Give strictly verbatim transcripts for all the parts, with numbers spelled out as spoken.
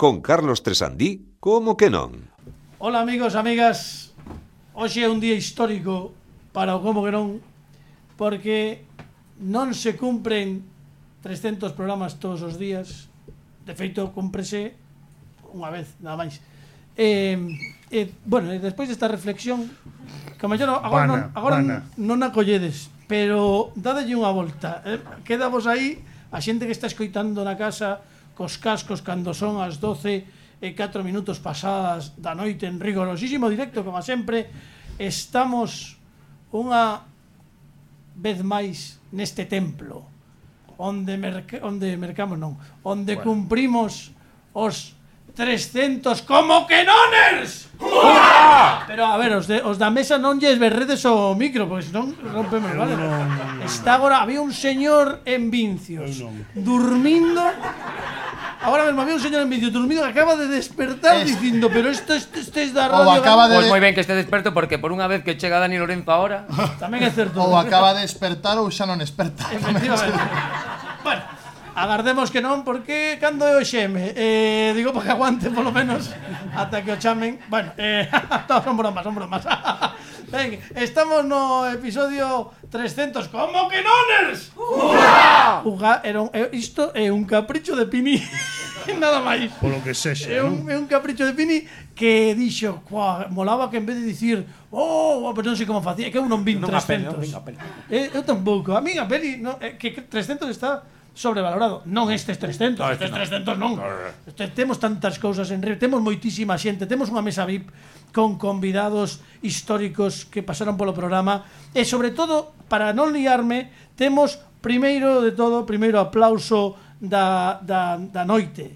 con Carlos Tresandí, como que non? Hola amigos, amigas. Hoxe é un día histórico para o como que non, porque non se cumpren trescentos programas todos os días. De feito, cúmprese unha vez, nada máis. Eh, eh, bueno, despois desta reflexión, que mellor agora, non, agora non, non a colledes, pero dadelle unha volta. Eh, quedavos aí, a xente que está escoitando na casa cos cascos cando son as doce e catro minutos pasadas da noite en rigorosísimo directo, como sempre. Estamos unha vez máis neste templo onde, merc onde mercamos non, onde bueno. cumprimos os trescentos como que noners. ¡Ura! Pero a ver, os, de, os da mesa non lles berredes o micro, porque senón rompemos, vale? No, no, no. Está agora, había un señor en Vincios no, no. durmindo. Ahora mesmo había un señor en Vincios durmindo que acaba de despertar es... dicindo, pero isto este es da radio. Acaba de... Pois moi ben que este desperto, porque por unha vez que chega Dani Lorenzo ahora tamén é certo. Ou acaba de despertar ou xa non desperta. Efectivamente. Bueno, agardemos que non, porque cando é o xeme, eh, digo para que aguante polo menos ata que o chamen. Bueno, eh, no, son bromas, son bromas. Ben, estamos no episodio trescentos. Como que noners? ¡Ura! Uga, era un, isto é un capricho de Pini. Nada máis. Polo que sexa, é un, é un capricho de Pini que dixo, cuá, molaba que en vez de dicir, oh, pero non sei como facía, que eu non vin trescentos. Eh, eu tampouco. A mí a peli, no, eh, que trescentos está sobrevalorado. Non estes trescentos, no, estes trescentos non. Este, temos tantas cousas en red, temos moitísima xente, temos unha mesa V I P con convidados históricos que pasaron polo programa e, sobre todo, para non liarme, temos, primeiro de todo, primeiro aplauso da, da, da noite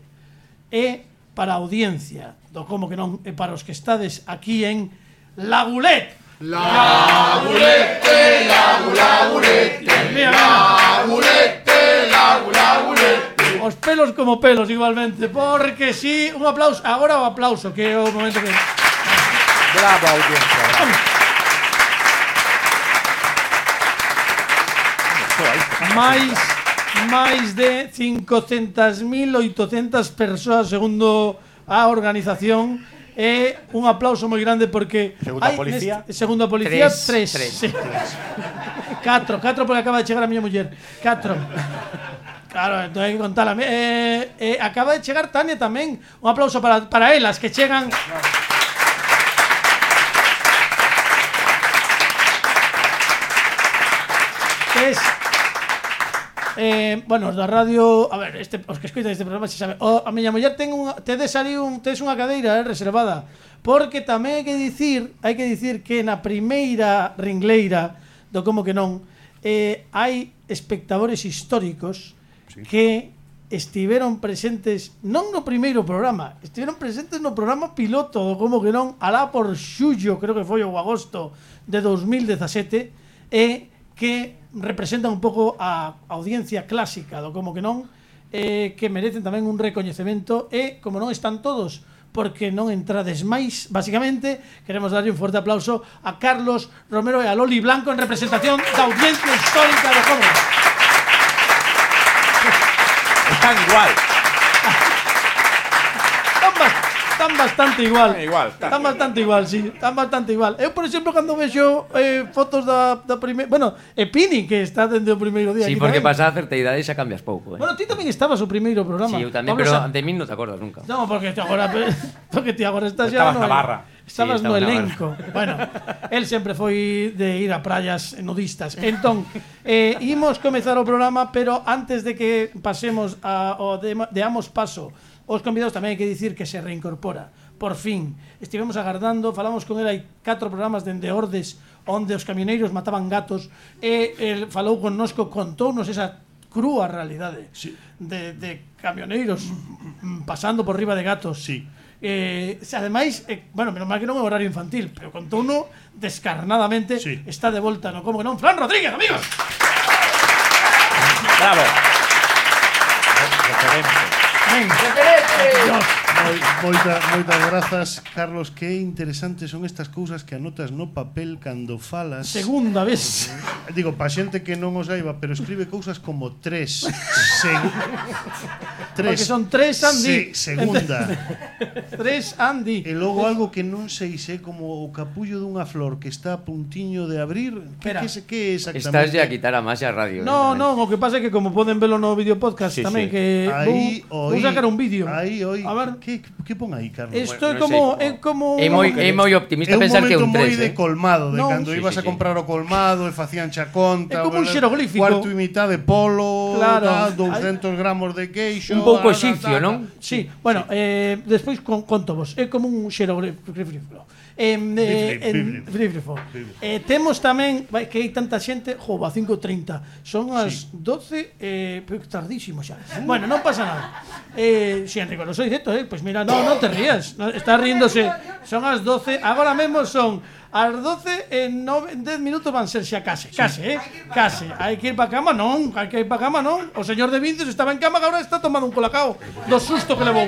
e para a audiencia do como que non, e para os que estades aquí en Lagulet. Lagulete, lagu, lagulete, lagulete, lagu, lagulete. Os pelos como pelos igualmente, porque si, sí, un aplauso, agora o aplauso, que é o momento que... Bravo, audiencia, bravo. máis máis de cincocentas mil oitocentas persoas segundo a organización. É un aplauso moi grande porque segundo a policía, neste, segundo a policía tres, tres, tres. Sí. catro, catro porque acaba de chegar a miña muller. catro. Claro, entón hai que contala. Eh, eh, acaba de chegar Tania tamén. Un aplauso para para elas que chegan. Es Eh, bueno, os da radio, a ver, este, os que escoitan este programa se sabe, o, a miña muller ten unha, tedes ali un, tedes unha cadeira eh, reservada, porque tamén hai que dicir, hai que dicir que na primeira ringleira do como que non, eh, hai espectadores históricos sí. que estiveron presentes non no primeiro programa, estiveron presentes no programa piloto do como que non, alá por xullo, creo que foi o agosto de dos mil dezasete, e que representan un pouco a audiencia clásica do como que non, eh, que merecen tamén un recoñecemento, e como non están todos porque non entrades máis, basicamente queremos darlle un forte aplauso a Carlos Romero e a Loli Blanco en representación da audiencia histórica do como. Están igual. Están bastante igual. Están igual. Están, están bastante igual, sí. Están bastante igual. Eu, por exemplo, cando vexo eh, fotos da, da primeira... Bueno, e Pini, que está dende o primeiro día. Sí, porque pasa a certa idade xa cambias pouco. Eh. Bueno, ti tamén estabas o primeiro programa. Sí, eu tamén, Pablo, pero sa... de min non te acordas nunca. No, porque ti agora... porque ti agora estás xa... Estabas no, na barra. Estabas sí, no estaba elenco. Bueno, el sempre foi de ir a praias nudistas. Entón, eh, imos comezar o programa, pero antes de que pasemos a, o de, deamos paso os convidados, tamén hai que dicir que se reincorpora. Por fin, estivemos agardando, falamos con ele hai catro programas dende Ordes, onde os camioneiros mataban gatos, e el falou connosco, contounos esa crúa realidade sí. de, de camioneiros pasando por riba de gatos. Sí. Eh, ademais, eh, bueno, menos mal que non é horario infantil, pero contouno descarnadamente. Sí. Está de volta no como que non, Fran Rodríguez, amigos. Bravo. Referente. Referente. Dios. Moita, moitas grazas, Carlos. Que interesantes son estas cousas que anotas no papel cando falas. Segunda vez. Digo, pa xente que non o saiba, pero escribe cousas como tres. Segu tres. Porque son tres Andy. Se segunda. Tres Andy. E logo algo que non sei se como o capullo dunha flor que está a puntiño de abrir. Que, que, que é exactamente? Estás ya a quitar a máis a radio. No, no, o que pasa é que como poden velo no vídeo podcast Sí, tamén sí. que Aí, vou, oí, vou sacar un vídeo. Aí, oi. A ver. Que, que pon aí, Carlos? Isto é Bueno, como non sei, é como É moi, é moi optimista É un pensar que é momento un moi tres, de eh? colmado, de Non. cando Sí, ibas sí, a sí. comprar o colmado e facían cha conta. É como un verdad? xeroglífico. Cuarto e mitad de polo, Claro. tal, doscientos gramos de queixo. Un pouco tal, tal, exipcio, tal, non? tal. Sí, bueno, eh, despois con, conto vos. É como un xeroglífico. Eh, eh, en- Bíblico. bíblico. Eh, temos tamén vai, que hai tanta xente, jo, a cinco e trinta. Son as doce, eh, pero tardísimo xa. Bueno, non pasa nada. Eh, si Enrico, lo soy dito, eh, pues mira, no, non te rías. No, está riéndose. Son as doce, agora mesmo son as doce en nove, en dez minutos van ser xa case, case, eh? Case. Hai que ir pa cama, non, hai que ir pa cama, non. O señor de Vincios estaba en cama, agora está tomando un colacao do susto que levou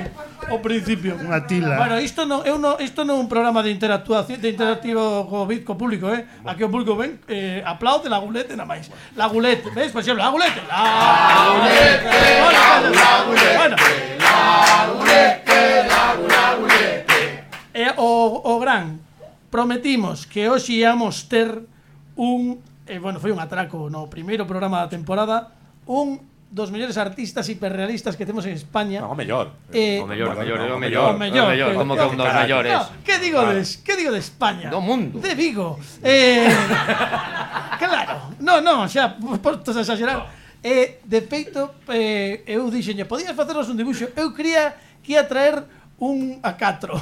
ao principio. Unha tila. Bueno, isto non é un isto non é un programa de interactuación, de interactivo co, co público, eh. Aquí o público ven, eh, aplaude la gulete nada máis. La gulete, ves, por exemplo, la gulete. La gulete, la gulete. Bueno, la gulete, la gulete. E o o gran prometimos que hoxe íamos ter un, eh, bueno, foi un atraco no primeiro programa da temporada, un dos mellores artistas hiperrealistas que temos en España. No, mellor. Eh, O mellor, o mellor, é o O mellor. mellor, O mellor, que- como que un dos Carai. mellores. No, que digo de, que digo de España? Do mundo. De Vigo. Eh, claro. No, no, xa, postos a exagerar. Eh, de feito, eh, eu dixenlle, podías facernos un dibuixo. Eu quería que ia traer un A catro.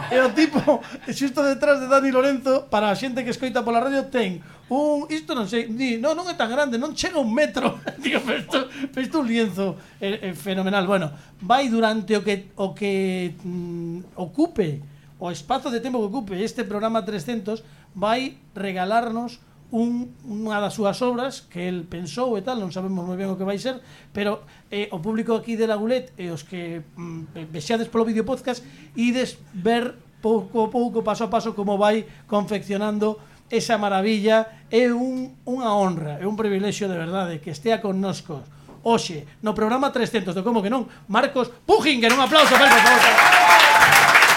E o tipo, xusto detrás de Dani Lorenzo, para a xente que escoita pola radio, ten un, isto non sei, di, no, non é tan grande, non chega un metro. Digo, pero isto, pero isto é un lienzo eh, eh, fenomenal. Bueno, vai durante o que o que mm, ocupe o espazo de tempo que ocupe este programa trescentos, vai regalarnos un, unha das súas obras que el pensou e tal, non sabemos moi ben o que vai ser, pero eh, o público aquí de la Gulet e os que mm, vexades polo vídeo podcast ides ver pouco a pouco, paso a paso, como vai confeccionando esa maravilla. É un, unha honra, é un privilexio de verdade que estea connosco hoxe no programa trescentos de Como que non, Marcos Pujinger. Un aplauso para él, por favor.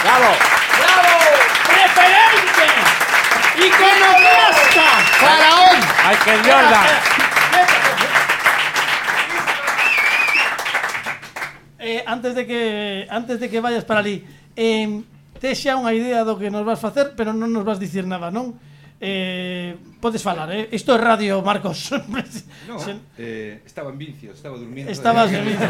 Bravo. ¡Bravo! ¡Referente! ¡Iconoclasta! ¡Faraón! Michael Jordan. Eh, antes de que antes de que vayas para ali, eh, tes xa unha idea do que nos vas facer, pero non nos vas dicir nada, non? Eh, podes falar, eh? Isto é radio, Marcos. No, Se- eh, estaba en Vincios, estaba durmiendo. Estabas de Vincios.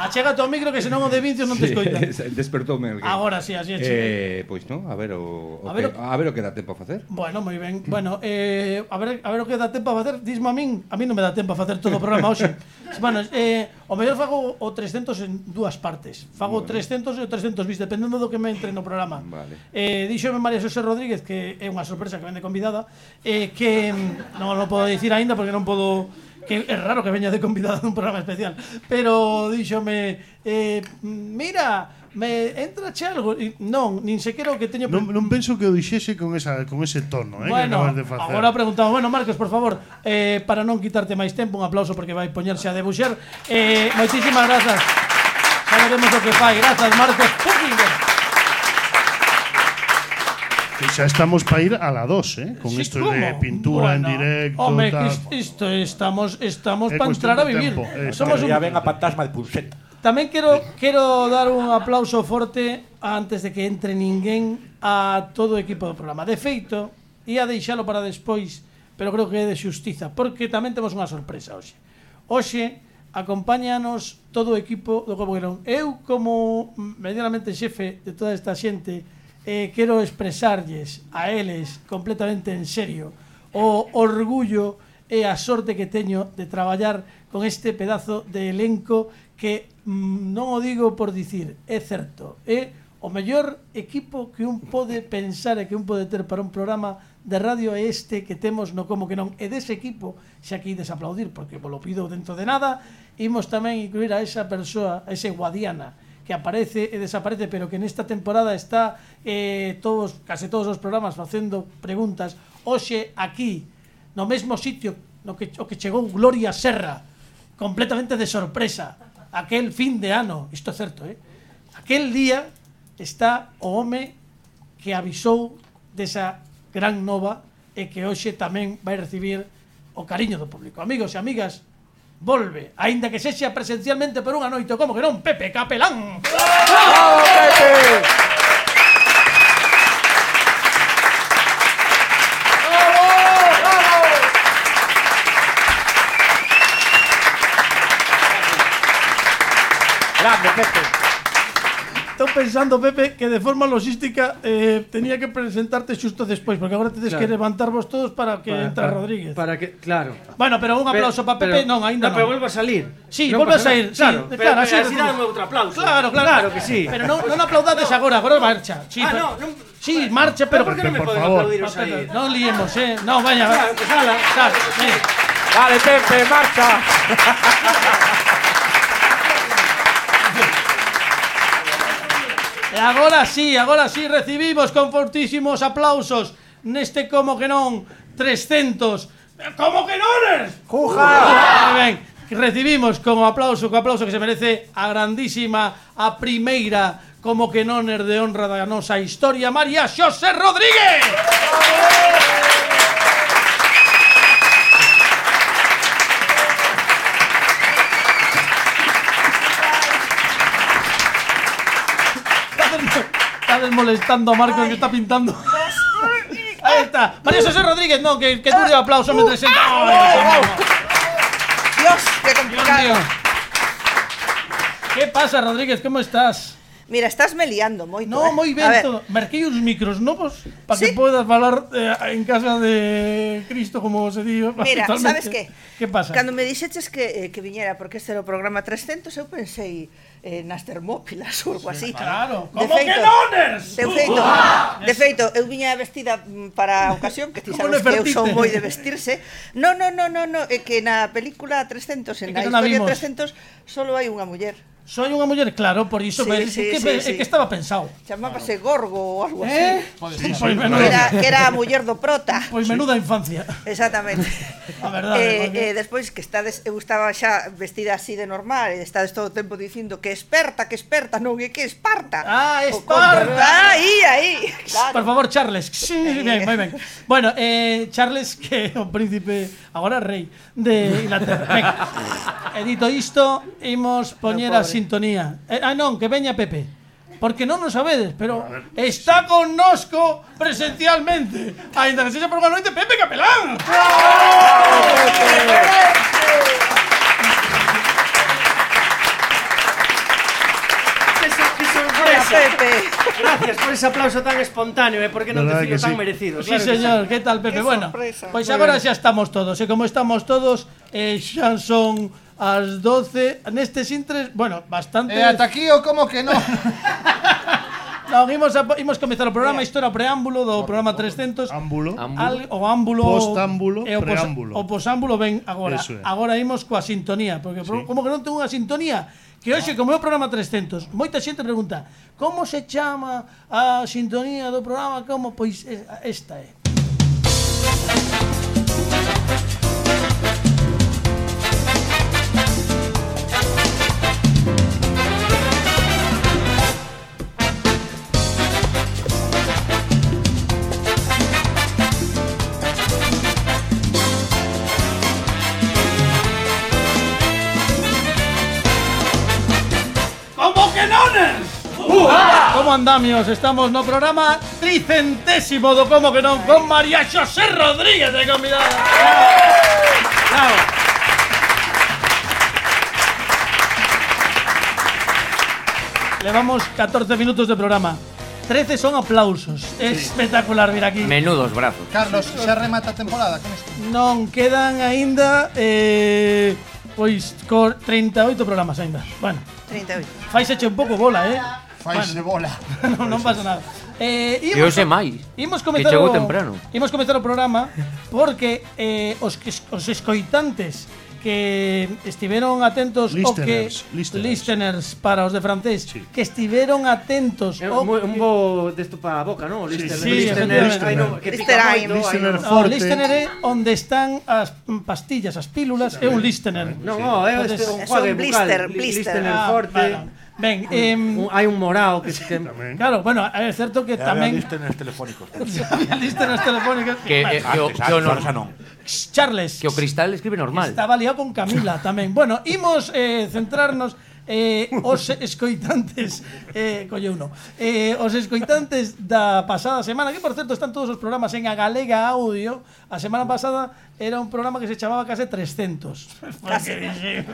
Achégate ao micro que senón o de Vincios non te escoita. Despertoume alguén. Agora sí, así é. Eh, Eh, pois non, a ver o, o A ver que, o- a ver o que dá tempo a facer. Bueno, moi ben. Bueno, eh, a ver a ver o que dá tempo a facer. Dismo a min, a min non me dá tempo a facer todo o programa hoxe. Bueno, eh, o mellor fago o trescentos en dúas partes. Fago Bueno. trescentos e o trescentos bis, dependendo do que me entre no programa. Vale. Eh, díxome María Xosé Rodríguez, que é unha sorpresa que vende convidada, eh, que mm, non o podo dicir aínda porque non podo, que é raro que veña de convidada dun programa especial, pero díxome, eh, mira, me entra che algo. E non, nin sequera o que teño. Non, non penso que o dixese con, esa, con ese tono, eh, que Bueno, acabas de facer. agora preguntamos, bueno, Marcos, por favor, eh, para non quitarte máis tempo, un aplauso porque vai poñerse a debuxer. Eh, moitísimas grazas. Xa veremos o que fai. Grazas, Marcos Pujinger. Que xa estamos para ir a la dos, eh, con Sí, isto ¿cómo? de pintura Bueno, en directo, Home, tal. que isto estamos estamos É para cuestión entrar a de vivir. tempo, eh, Somos un... Ya ven a fantasma de Pulset. Tamén quero quero dar un aplauso forte antes de que entre ninguén a todo o equipo do programa. De feito, ia deixalo para despois, pero creo que é de xustiza, porque tamén temos unha sorpresa hoxe. Hoxe acompáñanos todo o equipo do Como que non. Eu, como medianamente xefe de toda esta xente, eh, quero expresarlles a eles completamente en serio o orgullo e a sorte que teño de traballar con este pedazo de elenco que mm, non o digo por dicir, é certo, é o mellor equipo que un pode pensar e que un pode ter para un programa de radio é este que temos no Como que non. E dese equipo, xa que ides aplaudir porque vos lo pido dentro de nada, imos tamén incluir a esa persoa, a ese Guadiana, que aparece e desaparece, pero que nesta temporada está eh, todos, case todos os programas facendo preguntas. Hoxe aquí, no mesmo sitio no que, o que chegou Gloria Serra, completamente de sorpresa, aquel fin de ano, isto é certo, eh? Aquel día está o home que avisou desa gran nova e que hoxe tamén vai recibir o cariño do público. Amigos e amigas, volve, aínda que sexa presencialmente por unha noite, como que non, Pepe Capelán. ¡Bravo, Pepe! Grande, Pepe. Estou pensando, Pepe, que de forma logística eh, tenía que presentarte xusto despois, porque agora tedes Claro. que levantarvos todos para que Para- entre para- Rodríguez. Para que, claro. Bueno, pero un aplauso para Pepe, Pero- non, aínda no, non. pero vuelvo a salir. Sí, Non volve a pasa sair, nada. sí, Claro, claro, pero, así así recibimos. dame outro aplauso. Claro, claro. Claro que sí. Pero non, non aplaudades agora, agora marcha. Sí, Ah, pero- no, non- Sí, marcha, pero... Pero por que non me por poden favor. aplaudir os aí? Non liemos, eh. No, vaya, Claro, pues ala. Sal, ven. Dale, Pepe, marcha. E agora sí, agora sí recibimos con fortísimos aplausos neste como que non trescentos. Como que non? ¡Juja! Moi ben, recibimos con aplauso, co aplauso que se merece a grandísima, a primeira como que non er de honra da nosa historia, María Xosé Rodríguez. Estás molestando a Marcos que está pintando. Ahí está. María Xosé Rodríguez, no, que, que dure o aplauso mientras se... ¡Ay, Dios, qué Dios complicado. mío! ¿Qué pasa, Rodríguez? ¿Cómo estás? Mira, estás me liando moito. No, eh. moi A ben ver, todo. Merquei uns micros novos para Sí. que podas falar eh, en casa de Cristo, como se di Mira, habitualmente. sabes que? Que pasa? Cando me dixeches que, eh, que viñera porque este era o programa trescentos, eu pensei eh, nas Termópilas ou algo así. Claro. De Como que feito- noners? De feito, de feito, eu viña vestida mm, para a ocasión, que ti Como sabes que eu Nefertiti. son moi de vestirse. No, no, no, no, no, é que na película trescentos, É en que a non a historia vimos. trescentos, solo hai unha muller. Soy unha muller, claro, por iso, Sí, pero sí, é que, sí, é sí. que estaba pensado. Chamábase Gorgo ou algo Eh? así. Pois Que menuda, era, que era a muller do prota. pois menuda infancia. Exactamente. A verdade, eh, porque- eh, despois que estades, eu estaba xa vestida así de normal e estades todo o tempo dicindo que experta, que experta, non é que Esparta. Ah, O Esparta. contra- Ah, aí, aí. Por Claro. favor, Charles. Sí, ben, moi ben. Bueno, eh, Charles, que é o príncipe, agora rei, de Inglaterra. Venga, e dito isto, imos poñer a pobre. sintonía. Eh, ah, non, que veña Pepe. Porque non o sabedes, pero está connosco presencialmente. Ainda que sexa por unha noite, Pepe Capelán. ¡Qué so- qué Hola, sorpresa! Pepe. Gracias por ese aplauso tan espontáneo, ¿eh? Porque non Verdad te filo que tan sí. merecido. Sí, claro que señor, ¿qué tal, Pepe? Qué Bueno, sorpresa. pois Muy agora ben. xa estamos todos, e como estamos todos, eh, xa son as doce, nestes intres, bueno, bastante... E ata aquí o como que non? Non, imos, a, imos comezar o programa, isto era o preámbulo do programa trescentos. Ámbulo. Al, o ámbulo Postámbulo, e o pos- preámbulo. O posámbulo ven agora. Eso é. Agora imos coa sintonía, porque Sí. como que non ten unha sintonía, que hoxe como é o programa trescentos, moita xente pregunta: "Como se chama a sintonía do programa?" Como? Pois eh, esta é. Como que nones? Como andamios? Estamos no programa tricentésimo do Como que non con María Xosé Rodríguez de convidada. Bravo. Levamos catorce minutos de programa. trece son aplausos. Es espectacular vir aquí. Menudos brazos. Carlos, xa remata a temporada con isto. Non quedan aínda eh, pois co trinta e oito programas aínda. Bueno, treinta e oito. faiseche un pouco bola, eh. Faise bola. non, non pasa nada. Eh, E hoxe máis. Imos Que comezar chegou o, temprano. Imos comezar o programa porque eh, os, que- os escoitantes que estiveron atentos o que Listeners, listeners. listeners para os de francés, Sí. que estiveron atentos É o un, un que- bo desto para a boca, non? Sí, Listener, sí, listener, efectivamente. ai, no, que pica Listener, moito, ai, listener no. o forte. listener é onde están as mm, pastillas, as pílulas, é un listener. Non, oh, é este un Son juegue blister, bucal. blister. Listener Ah, forte. vale. Ben, em, Un- Hai un morao que, que claro, bueno, é certo que tamén listeners telefónicos. había listeners telefónicas. Que, Vale. eh, que, o, Antes, que, o antes, no- ahora xa non. Charles. que o Cristal escribe normal. Estaba liado con Camila tamén. Bueno, imos eh, centrarnos eh, os escoitantes eh, colle uno eh, os escoitantes da pasada semana, que por certo están todos os programas en A Galega Audio. A semana pasada era un programa que se chamaba Case trescentos. Case.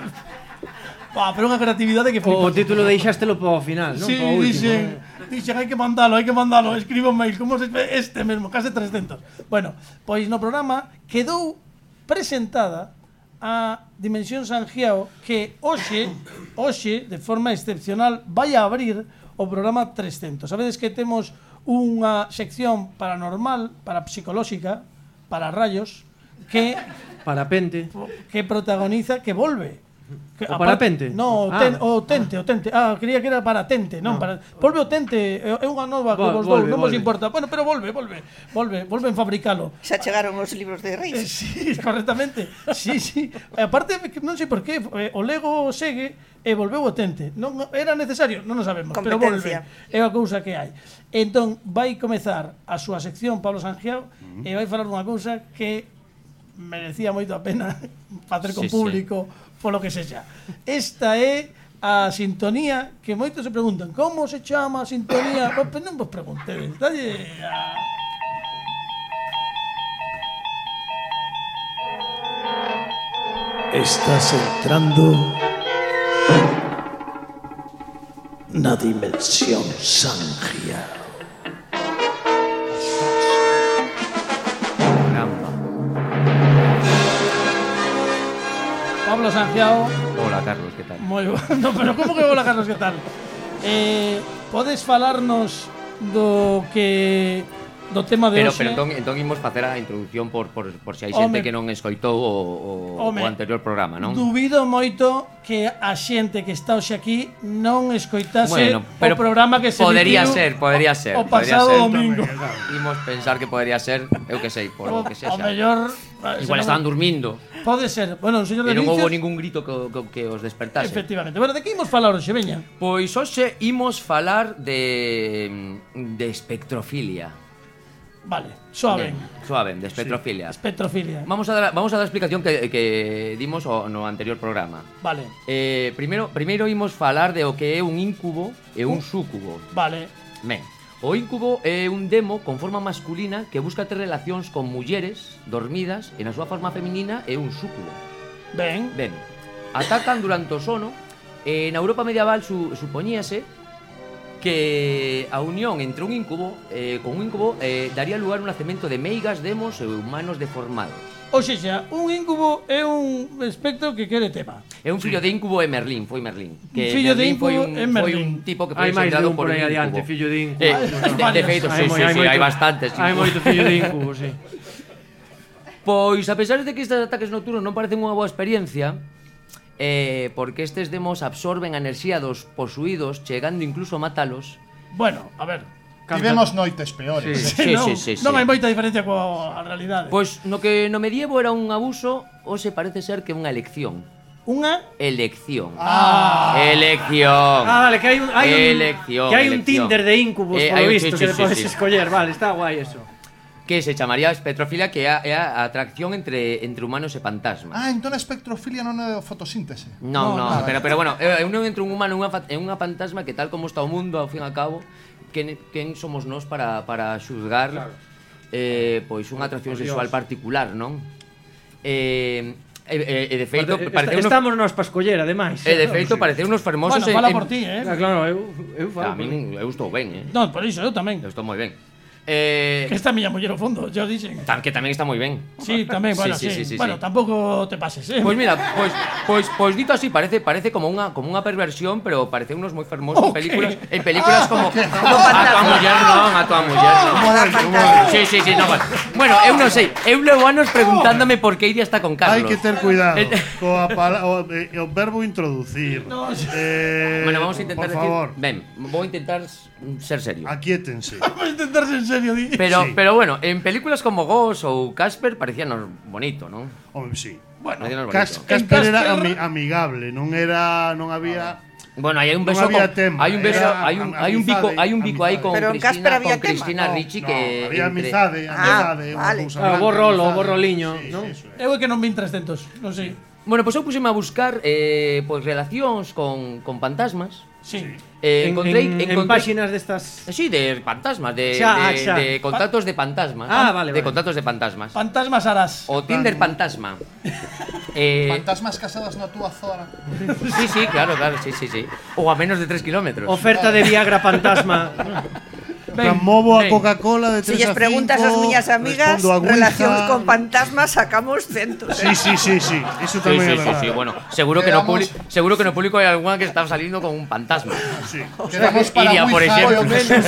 Bah, pero unha creatividade que o, o flipas. título deixástelo para o final, non? Sí, Para o último. dixen, dixen, hai que mandalo, hai que mandalo, escribo un mail, como se este mesmo, case trescentos. Bueno, pois no programa quedou presentada a Dimensión Sangiao, que hoxe, hoxe, de forma excepcional, vai a abrir o programa trescentos. Sabedes que temos unha sección paranormal, parapsicolóxica, para rayos, que Parapente. que protagoniza, que volve. Que, O aparte- parapente? No, o, Ah. ten, o tente, o tente. Ah, creía que era para tente, non, para. Volve o tente, é é unha nova que Vol- vos dou, volve, non vos volve. importa. Bueno, pero volve, volve, volve, volven fabricalo. Xa chegaron os libros de Eh, Reis. Sí, correctamente. Sí, sí. E aparte, non sei por qué, eh, o Lego segue e volveu o tente. Non era necesario, non o sabemos, pero volve. Competencia. É a cousa que hai. Entón, vai comezar a súa sección Pablo Sangiao e vai falar dunha cousa que merecía moito a pena facer con Sí, sí. público, polo que sexa. Esta é a sintonía que moitos se preguntan, como se chama a sintonía? Pois non vos preguntedes, dalle a... Estás entrando na dimensión Sangia. Caramba. Pablo Sangiao, Hola, Carlos, que tal? moi bo. No, pero como que hola, Carlos, que tal? Eh, podes falarnos do que do tema de Pero, hoxe? pero entón, entón imos facer a introducción por, por, por se hai Home. xente que non escoitou o, o, Home. o anterior programa, non? Dubido moito que a xente que está hoxe aquí non escoitase Bueno, pero o programa que se podería emitiu ser, podería ser, o podería pasado ser. domingo. Imos pensar que podería ser, eu que sei, por o que O sexa. mellor Igual estaban durmindo Pode ser. Bueno, o señor e de non houve Vicios, ningún grito que, que, que os despertase. efectivamente. Bueno, de que imos falar hoxe, veña? Pois hoxe imos falar de de espectrofilia. Vale, suave. Ben, suave, de espectrofilia. Espectrofilia. Vamos a dar vamos a dar a explicación que, que dimos o, no anterior programa. Vale, Eh, primeiro primeiro imos falar de o que é un incubo e un súcubo. vale. Ben, o incubo é un demo con forma masculina que busca ter relacións con mulleres dormidas e na súa forma feminina é un súcubo. Ben. Ben, atacan durante o sono e na Europa medieval su, supoñíase que a unión entre un incubo eh, con un incubo eh, daría lugar a un nacemento de meigas, demos e humanos deformados. O xa, un incubo é un espectro que quere tema. É un fillo de incubo e Merlín, foi Merlín. Que Fillo de Merlín foi incubo un, é foi Merlín. un tipo que foi Hai máis de engendrado un por por un aí adiante, incubo. fillo de incubo. Eh, No, no. de, de feito, sí, Hai moi- sí, hai sí, moito- hai bastantes. Hai moito fillo de incubo, sí. Pois, a pesar de que estes ataques nocturnos non parecen unha boa experiencia, eh, porque estes demos absorben a enerxía dos posuídos, chegando incluso a matalos. Bueno, a ver. Tivemos noites peores. Sí, non, sí, sí, sí. non hai moita diferencia coa realidade. Pois no que no medievo era un abuso, hoxe parece ser que é unha elección. Unha Elección. Ah. Elección. Ah, vale, que hai un hai un Elección, que hai un elección. Tinder de incubos, Eh, polo hai un- visto, sí, que sí, podes sí, sí. escoller, vale, está guai eso. Que se chamaría espectrofilia, que é a, é a atracción entre, entre humanos e fantasmas. Ah, entón a espectrofilia non é fotosíntese. Non, No, non, no. pero, pero bueno, é unión entre un humano e unha, fa- e unha fantasma que tal como está o mundo, ao fin e ao cabo, quen, quen somos nós para, para xuzgar claro. eh, pois unha atracción Por sexual Dios. particular, non? Eh, e, e, e de feito, Est- parece unos, Estamos nós para escoller, ademais. e de feito parece unos fermosos Bueno, fala por ti, eh. Ah, claro, eu eu A falo. min, eu estou ben, eh? Non, por iso, eu tamén. Eu estou moi ben. Eh, Que esta miña muller ao fondo, yo dixen. tam- que tamén está moi ben. Sí, tamén, bueno, sí. sí, sí, sí, bueno, sí. tampouco te pases, eh. Pois mira, pois pois pois dito así parece parece como unha como unha perversión, pero parece unos moi fermosos Ok. películas, en películas como Como a tua fantasma. muller non, a tua muller non. Como dar fantasma. Sí, sí, sí, no, bueno. Bueno, eu non sei, eu levo anos preguntándome por que Iria está con Carlos. Hai que ter cuidado Eh, coa pala, o, eh, o verbo introducir. No, eh, Bueno, vamos a intentar por decir, favor, ben, vou intentar ser serio. aquíétense. Vamos a intentarse en serio, di. Pero, Sí. pero bueno, en películas como Ghost ou Casper parecíanos bonito, non? Home, sí. Bueno, Parecíanos Cas, bonito. Casper era Casper- ami, amigable, non era, non había. Bueno, aí hai un Non beso había con, tema, hai un beso, era hai un am- hai un bico, amizade, hai un bico aí amizade. con Pero en Cristina, Casper había con tema. Cristina No, Ricci no, que había entre- amizade, amizade, Ah, unha vale. cousa Ah, o blanca, bo rolo, o amizade. bo roliño, Sí, non? sí, eso é. Eu é que non vin trescentos, non sei. Bueno, pois eu puseme a buscar eh, pois relacións con, con fantasmas. Sí. Eh, En, encontrei, en, en encontrei páxinas destas... Sí, de fantasmas, de, Xa, de, xa. de contactos de fantasmas. Ah, vale, De vale. contactos de fantasmas. Fantasmas harás. O Tinder fantasma. eh, Fantasmas casadas na túa zona. sí, sí, claro, claro, sí, sí, sí. Ou a menos de tres kilómetros. Oferta de Viagra fantasma. Ben, movo a ben. Coca-Cola de Si tres lles a preguntas ás cinco, miñas amigas respondo a Ouija. relacións con fantasmas, sacamos centos. Sí, sí, sí, sí. Sí, Eso tamén sí, é sí, verdade. sí, bueno, seguro que no Quedamos- publi- seguro que no público hai alguna que está saliendo con un fantasma. Sí. Quedamos para Iria, por Ouija, exemplo. ao menos.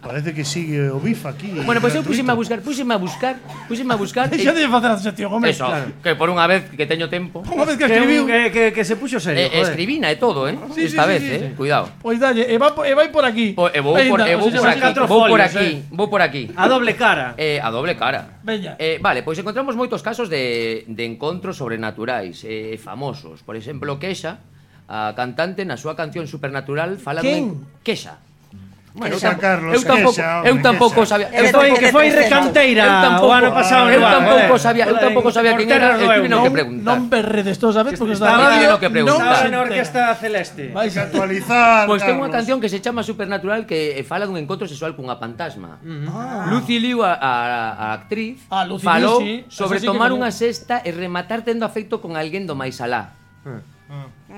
Parece que sigue o bif aquí. Bueno, pois pues eu gratuito. pusime a buscar, pusime a buscar, pusime a buscar Xa e- de facer a sección, home. Eso, que por unha vez que teño tempo. Unha vez que que, escribiu. que, que, que se puxo serio, Eh, joder. escribina e todo, eh? Sí, Esta sí, vez, sí, eh? sí. Cuidado. Pois dalle, e vai, po- e vai por aquí. Po- E vou por, Veña, e vou o sea, por son aquí, catro vou por folios, aquí, eh. vou por aquí. A doble cara. Eh, a doble cara. Veña. Eh, vale, pois encontramos moitos casos de, de encontros sobrenaturais eh, famosos. Por exemplo, Kesha, a cantante, na súa canción Supernatural fala Quen? dun Kesha. Bueno, eu, tam- Carlos, eu tampouco, Kesha, hombre, eu tampouco Kesha. sabía, Que eu Que foi, tampouco, que foi Eu recanteira tampouco- o ano pasado. eu no bar, tampouco joder. sabía, eu tampouco sabía Por quen terras era, do eu Eume. tiveron que Non, preguntar. non berredes todos, sabes? Porque esta Estaba- radio tiveron que preguntar. non Estaba se na entera. orquesta celeste. Vais a Actualizar. Pois ten unha Carlos. canción que se chama Supernatural que eh, fala dun encontro sexual cunha fantasma. Lucy Liu, a, a, a actriz, Ah, Lucy falou Liu, sí. sobre Esa sí que tomar coñezo. unha sesta e rematar tendo afecto con alguén do máis alá.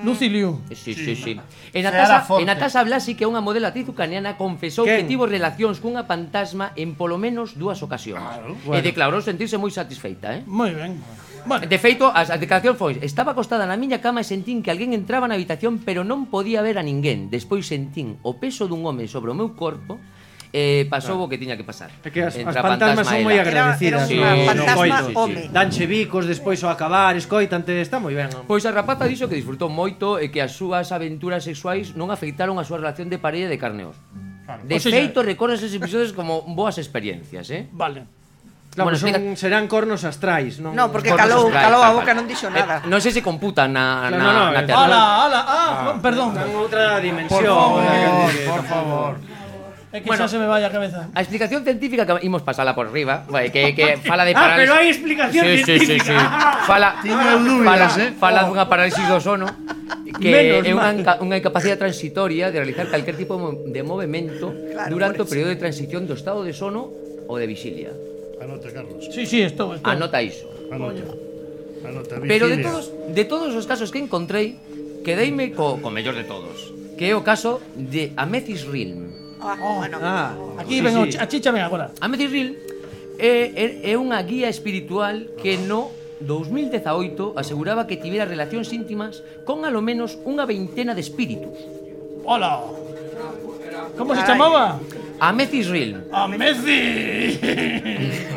Lucy Liu. Sí, sí, sí. E Natasha, Seara Forte. e Natasha Blasi, que é unha modelo actriz ucraniana, confesou Quen? que tivo relacións cunha fantasma en polo menos dúas ocasións. E declarou sentirse moi satisfeita, eh? Moi ben. Bueno, De feito, a, a declaración foi: estaba acostada na miña cama e sentín que alguén entraba na habitación, pero non podía ver a ninguén. Despois sentín o peso dun home sobre o meu corpo e pasou o que tiña que pasar. É que as, as Entre a fantasmas fantasma son e moi ela. agradecidas. Era- era unha no- no fantasma coito. home. Danche bicos despois ao acabar, escoitante, está moi ben. Pois a rapaza dixo que disfrutou moito e que as súas aventuras sexuais non afectaron a súa relación de parella de carne e oso. De O sea, feito, recordas esos episodios como boas experiencias, eh? vale. Claro, Bueno, son, explica- serán cornos astrais, non? No, porque Cornos calou, astrais, calou a tal, boca, tal. non dixo Eh, nada. non sei se computan na, Claro, na, no, no, na eh. terra. Ala, ala, ah, perdón. Están outra dimensión. Por eh, favor, que- por favor. É que Bueno. xa se me vai a cabeza. A explicación científica que imos pasala por riba, vai, que, que fala de Ah, parálisis. pero hai explicación sí, sí, sí, sí. científica. Fala, Tiña fala, dúbidas, eh. fala dunha parálisis do sono que Menos é unha, mal. inca- unha incapacidade transitoria de realizar calquer tipo de movimento Claro, durante o por eso. período de transición do estado de sono ou de vixilia. Anota, Carlos. Sí, sí, estou, estou. Anota iso. Anota. Anota. Pero de vigilia. todos, de todos os casos que encontrei, quedeime co, co mellor de todos, que é o caso de Amethyst Realm. Ah, bueno. Ah, Aquí sí, ven sí. o chi- a chicha ven agora. Amethyst Realm é, é, é unha guía espiritual que no dos mil dezaoito aseguraba que tivera relacións íntimas con alo menos unha veintena de espíritus. Hola. Como se Carai. chamaba? Amethyst Realm. A Messi.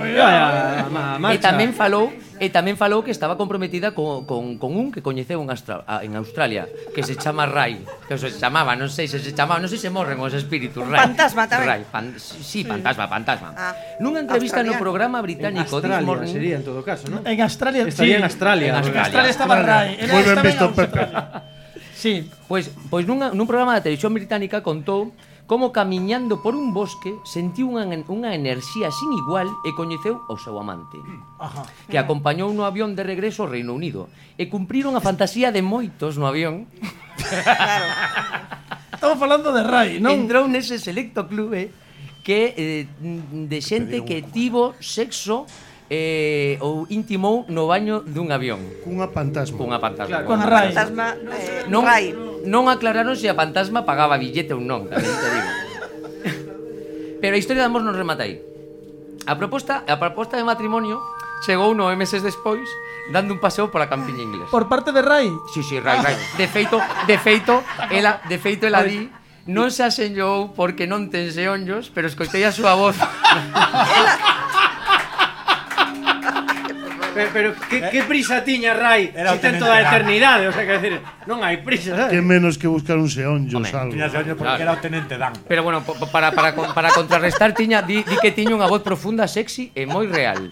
Ya, ya, ma- E marcha. tamén falou E tamén falou que estaba comprometida con, con, con un que coñeceu en, Astra, a- en Australia, que se chama Rai, que se chamaba, non sei se se chamaba, non sei se morren os espíritus, Rai. Fantasma tamén. Rai, fan, sí, fantasma, fantasma. Ah, Nunha entrevista no australiano. programa En británico This Australia Morning, sería en todo caso, ¿no? En Australia. Estaría sí. en Australia. En En Australia. Australia estaba Rai. Era- Moi ben estaba en visto, Pepe. Australia. Sí. Pois, pois nunha, nun programa da televisión británica contou como camiñando por un bosque sentiu unha, unha enerxía sin igual e coñeceu ao seu amante, Ajá. que acompañou no avión de regreso ao Reino Unido e cumpriron a fantasía de moitos no avión. Claro. Estamos falando de Rai, non? Entrou nese selecto clube que eh, de xente que tivo sexo eh, ou intimou no baño dun avión Cunha fantasma. cunha fantasma. Claro. Con A Rai. fantasma eh, Non, Rai. non aclararon se a fantasma pagaba billete ou non, tamén te digo. Pero a historia de amor non remata aí. A proposta, a proposta de matrimonio chegou nove meses despois, dando un paseo pola campiña inglesa. Por parte de Rai. Sí, sí, right, right. De feito, de feito, ela, de feito ela di, non se asenllou porque non ten xeonllos, pero escoitei a súa voz. Ela, Pero, pero que, que prisa tiña Rai Era o si ten tenente toda a Dan. eternidade, o sea, que decir, non hai prisa, sabes? Que menos que buscar un seonllo, Home, salvo. Tiña señor porque Claro. era o tenente Dan. Pero bueno, po- para, para, con- para contrarrestar tiña, di, di que tiña unha voz profunda, sexy e moi real.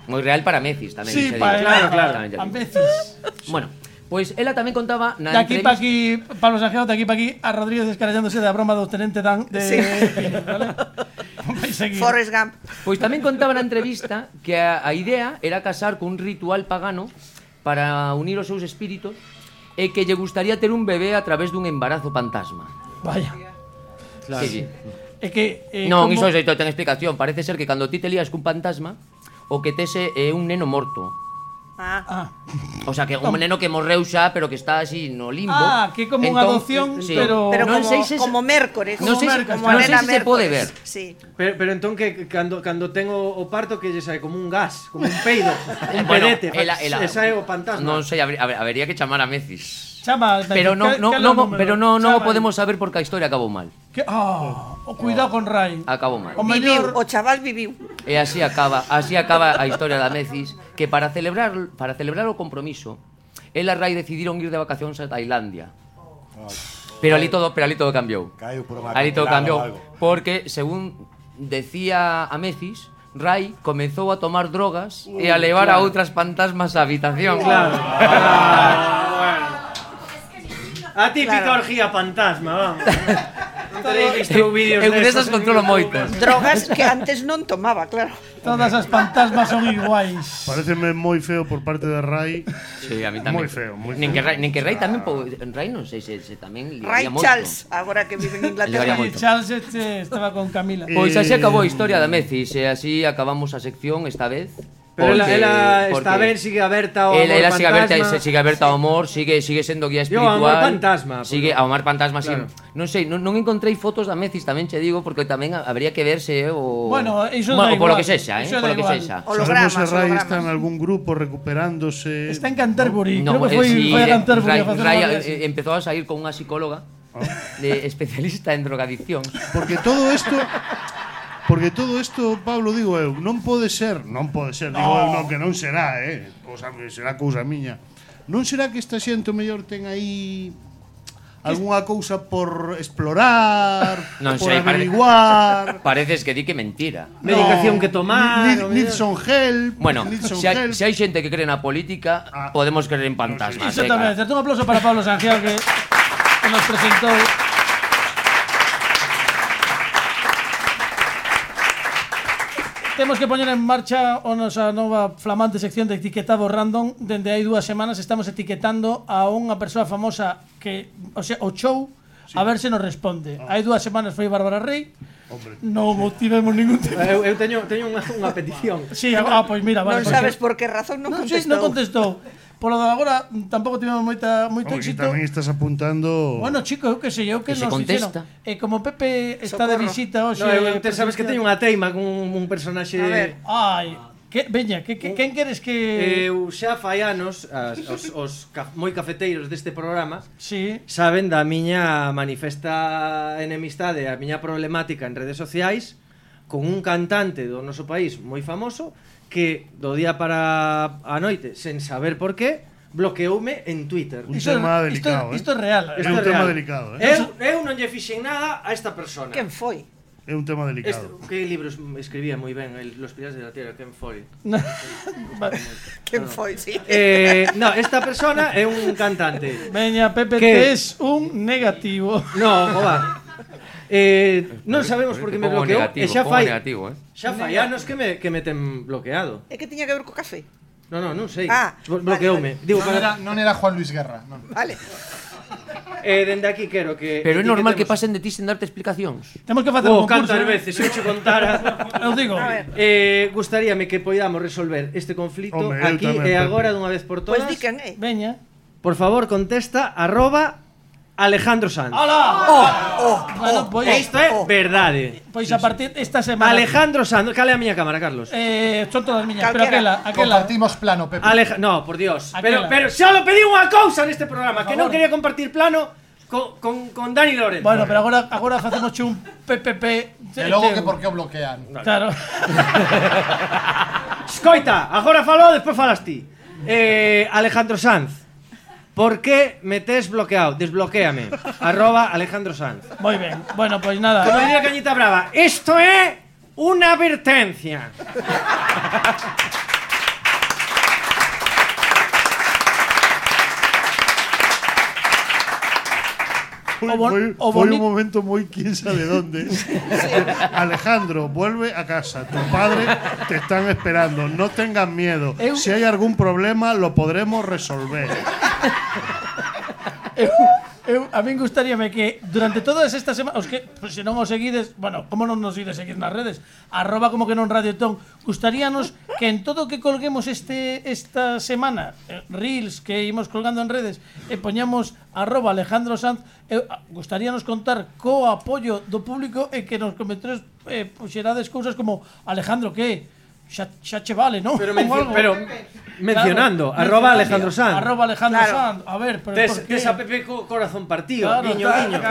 Moi real para Mecis tamén. Sí, xa para digo. claro, claro. Tamén xa A digo. veces. Bueno, pois ela tamén contaba na De aquí pa entrevista... aquí, Pablo Sanjeo, de aquí pa aquí, a Rodríguez descarallándose da broma do tenente Dan de Sí. Pino, ¿vale? Vais seguir. Forrest Gump. Pois tamén contaba na entrevista que a, a idea era casar con un ritual pagano para unir os seus espíritos e que lle gustaría ter un bebé a través dun embarazo fantasma. Vaya. Claro. Sí, sí. É que eh, Non, como- iso é ten explicación. Parece ser que cando ti te lías cun fantasma, o que tese é un neno morto. Ah. Ah, O sea, que un neno que morreu xa, pero que está así no limbo. Ah, que como unha adopción, pero- Pero non como, sei se como Mércores. non sei, Mércores, como non a sei nena se se pode ver. Mércores. Sí. Pero, pero entón que cando, cando ten o, o parto que lle sae como un gas, como un peido, un Bueno, pedete, ela- ela- e sae o fantasma. Non sei, haber- haber- habería que chamar a Mecis. chama, Pero non, que- non, que non, número? pero non, non o Chama. podemos saber porque a historia acabou mal. Que, ah, o cuidado con Rai. Acabou mal. O Viviu, mellor o chaval viviu. E así acaba, así acaba a historia da Mecis, que para celebrar para celebrar o compromiso, ela e Rai decidiron ir de vacacións a Tailandia. Pero ali todo, pero ali todo cambiou. Caeu por unha Ali todo cancelada cambiou ou algo. porque según decía a Mecis, Rai comezou a tomar drogas e a levar a outras fantasmas á habitación. Claro. Ah, bueno. A típica Claro. orgía fantasma, vamos. Non tenéis visto vídeos Eu desas destas controlo en YouTube. moitas. Drogas que antes non tomaba, claro. Todas as fantasmas son iguais. Pareceme moi feo por parte de Rai. Sí, a mí tamén. Moi feo, moi Nin que feo. Rai, nin que Rai tamén po, Rai non sei se, se tamén Ray liaría moito. Charles, agora que vive en Ligaría Inglaterra. moito. Charles este estaba con Camila. Pois así Eh, acabou a historia da Mecis e así acabamos a sección esta vez. Pero ela, porque- ela porque está ben, sigue aberta ao Ela, amor ela sigue aberta, fantasma. se sigue aberta ao amor, sigue sigue sendo guía Yo, espiritual. ao amor fantasma, Sigue porque- ao amor fantasma, Claro. sí. Non sei, non, non encontrei fotos da Mecis, tamén che digo, porque tamén habría que verse eh, o Bueno, iso Bueno, da o polo igual, que sexa, eh, iso polo da que igual. sexa. Hologramas, Sabemos se Rai hologramas. está en algún grupo recuperándose. Está en Canterbury, No, creo que eh, foi, sí, foi a eh, Canterbury Rai, a facer Rai, unha eh, viaxe. empezou a sair con unha psicóloga de especialista en drogadiccións. Porque todo isto Porque todo isto, Pablo, digo eu, non pode ser, non pode ser, digo eu, non, que non será, eh, cousa, será cousa miña. Non será que esta xente o mellor ten aí algunha cousa por explorar, Non por sei, parece- averiguar. Pareces que di que mentira. Medicación que tomar, Need, o need mellor. some help. Bueno, need some se hai, help. se hai xente que cree na política, Ah. podemos creer en fantasmas. Iso eh, tamén, cara. certo, un aplauso para Pablo Sanjeo que, que nos presentou. Temos que poñer en marcha a nosa nova flamante sección de etiquetado random. Dende hai dúas semanas estamos etiquetando a unha persoa famosa que, o sea, o show, a ver se nos responde. Hai dúas semanas foi Bárbara Rey. Hombre. Non tivemos ningún tipo. Eu, eu teño, teño unha, unha petición. Sí, ah, pois mira, vale. Non sabes por que razón non Non, sí, contestou. non contestou. Polo de agora tampouco tivemos moita moito Hombre, que éxito. tamén estás apuntando. Bueno, chico, eu que sei, eu que, Que se nos contesta. fixeron. E como Pepe está de Socorro. visita hoxe. No, eu, te sabes que presencial- teño unha teima con un, un personaxe. A ver. Ai, que veña, que, que quen queres que Eu xa fai anos, as, os, os ca, moi cafeteiros deste programa Sí. saben da miña manifesta enemistade, a miña problemática en redes sociais con un cantante do noso país moi famoso que do día para a noite, sen saber por qué, bloqueoume en Twitter. Un Isto, tema isto, delicado, eh. isto é real. É Isto un é tema real. delicado, eh. Eu, eu non lle fixen nada a esta persona. Quen foi? É un tema Este, delicado. que libros escribía moi ben, el, Los Piratas de la Tierra, Ken Follett. Vale. Quen foi, sí. Eh, no, esta persona é un cantante. Veña, Pepe, Que? tes un negativo. No, joda. Eh, non sabemos por que me Pongo bloqueou negativo, e xa pongo fai negativo, eh. xa fai anos que me que me ten bloqueado. É que tiña que ver co café. No, no, non sei. Ah, Blo- bloqueoume. Digo, Non era, para... non era Juan Luis Guerra, non. Vale. eh, dende aquí quero que Pero é normal que etiquetemos- pasen de ti sen darte explicacións. Temos que facer Oh, un concurso. cantas veces, se eu che contara. Eu digo. A ver. Eh, gustaríame que podamos resolver este conflito Hombre, eu aquí tamén, e Pepe. agora dunha vez por Pois todas. di quen é. Veña. Por favor, contesta arroba Alejandro Sanz. Hola. Oh, oh, Bueno, pois, E isto é oh. verdade. pois a partir esta semana. Alejandro Sanz, cale a miña cámara, Carlos. Eh, son todas miñas, pero Calquera. aquela, aquela. Compartimos plano, Pepe. Aleja... No, por Dios. Pero, Aquela. pero solo pedí unha cousa neste programa, que non favor. quería compartir plano con, con, con Dani Lorenzo. Bueno, pero agora agora facemos un P P P. E logo que por que o bloquean. Claro. Escoita, agora falou, despois falas ti. Eh, Alejandro Sanz. Por que me tes bloqueado? Desbloquéame. Arroba Alejandro Sanz. Moi ben. Bueno, pois nada. Como diría Cañita Brava, isto é unha advertencia. Foi, O bon- foi, o foi boni- un momento moi quién sabe dónde. Alejandro, vuelve a casa. Tu padre te están esperando. No tengas miedo. Eu- Si hay algún problema, lo podremos resolver. Eu, eu, a min gustaríame que durante todas estas semanas, os que, pues, se non os seguides, bueno, como non nos ides seguir nas redes, arroba como que non Radiotón, gustaríanos que en todo o que colguemos este esta semana, eh, reels que imos colgando en redes, e poñamos arroba Alejandro Sanz, eu, a- gustaríanos contar co apoio do público e que nos comentarios eh, puxerades cousas como Alejandro, que xa, xa che vale, non? Pero, Ou mencio, algo. pero mencionando, Claro, arroba mencionando. Alejandro Sanz. Arroba Alejandro Claro. Sanz. A ver, pero Tes, por qué? tes a Pepe co corazón partido, Claro, guiño, está- guiño.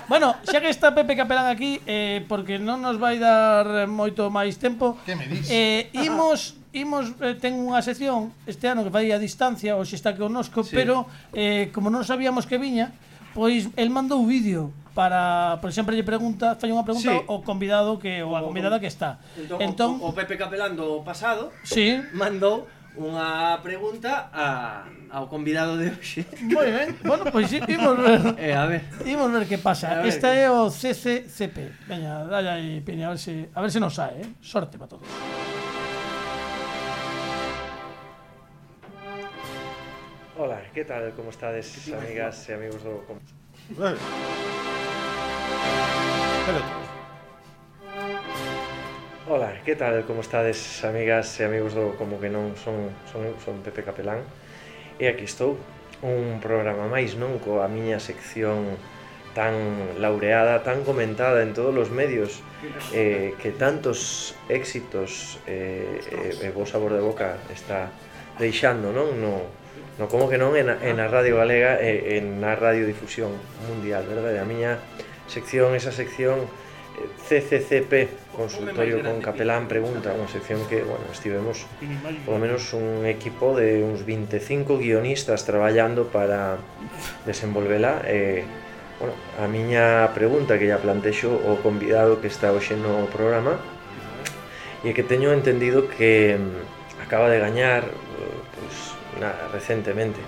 Bueno, xa que está Pepe Capelán aquí, eh, porque non nos vai dar moito máis tempo. Que me dis? Eh, imos imos eh, ten unha sección este ano que vai a distancia, hoxe está connosco, Sí. pero eh, como non sabíamos que viña, pois el mandou vídeo para, por exemplo, lle pregunta, fai unha pregunta Sí. ao convidado que ou a convidada que está. Entón, Entón, o, o Pepe Capelán do pasado sí, mandou unha pregunta a, ao convidado de hoxe. moi ben. Bueno, pois sí, imos ver. Eh, a ver. Imos ver que pasa. A ver. Esta é o C C C P. Veña, dalle aí, Piña, a ver se a ver se nos sae, eh. Sorte para todos. Hola, ¿qué tal? ¿Cómo estades, amigas e amigos do... Com- Hola, ¿qué tal? ¿Cómo estades, amigas e amigos do Como que non? Son, son, son Pepe Capelán e aquí estou, un programa máis, non? Coa miña sección tan laureada, tan comentada en todos os medios, eh, que tantos éxitos eh, e, e bo sabor de boca está deixando, non? No, no como que non en a, en a Radio Galega e en a radiodifusión mundial, verdade? A miña sección, esa sección eh, C C C P, Consultorio con Capelán Pregunta, unha sección que, bueno, estivemos polo menos un equipo de uns veinticinco guionistas traballando para desenvolvela. eh, bueno, a miña pregunta que ya plantexo o convidado que está hoxe no programa e que teño entendido que mm, acaba de gañar eh, pois, nada, recentemente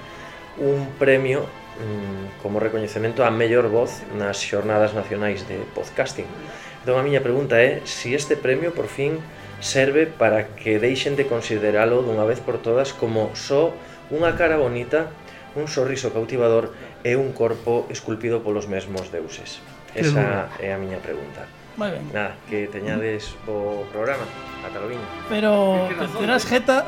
un premio mm, como recoñecemento á mellor voz nas xornadas nacionais de podcasting. Entón a miña pregunta é se este premio por fin serve para que deixen de consideralo dunha vez por todas como só unha cara bonita, un sorriso cautivador e un corpo esculpido polos mesmos deuses. Esa é a miña pregunta. Moi ben. Nada, que teñades o programa. Ata lo viño. Pero terás jeta.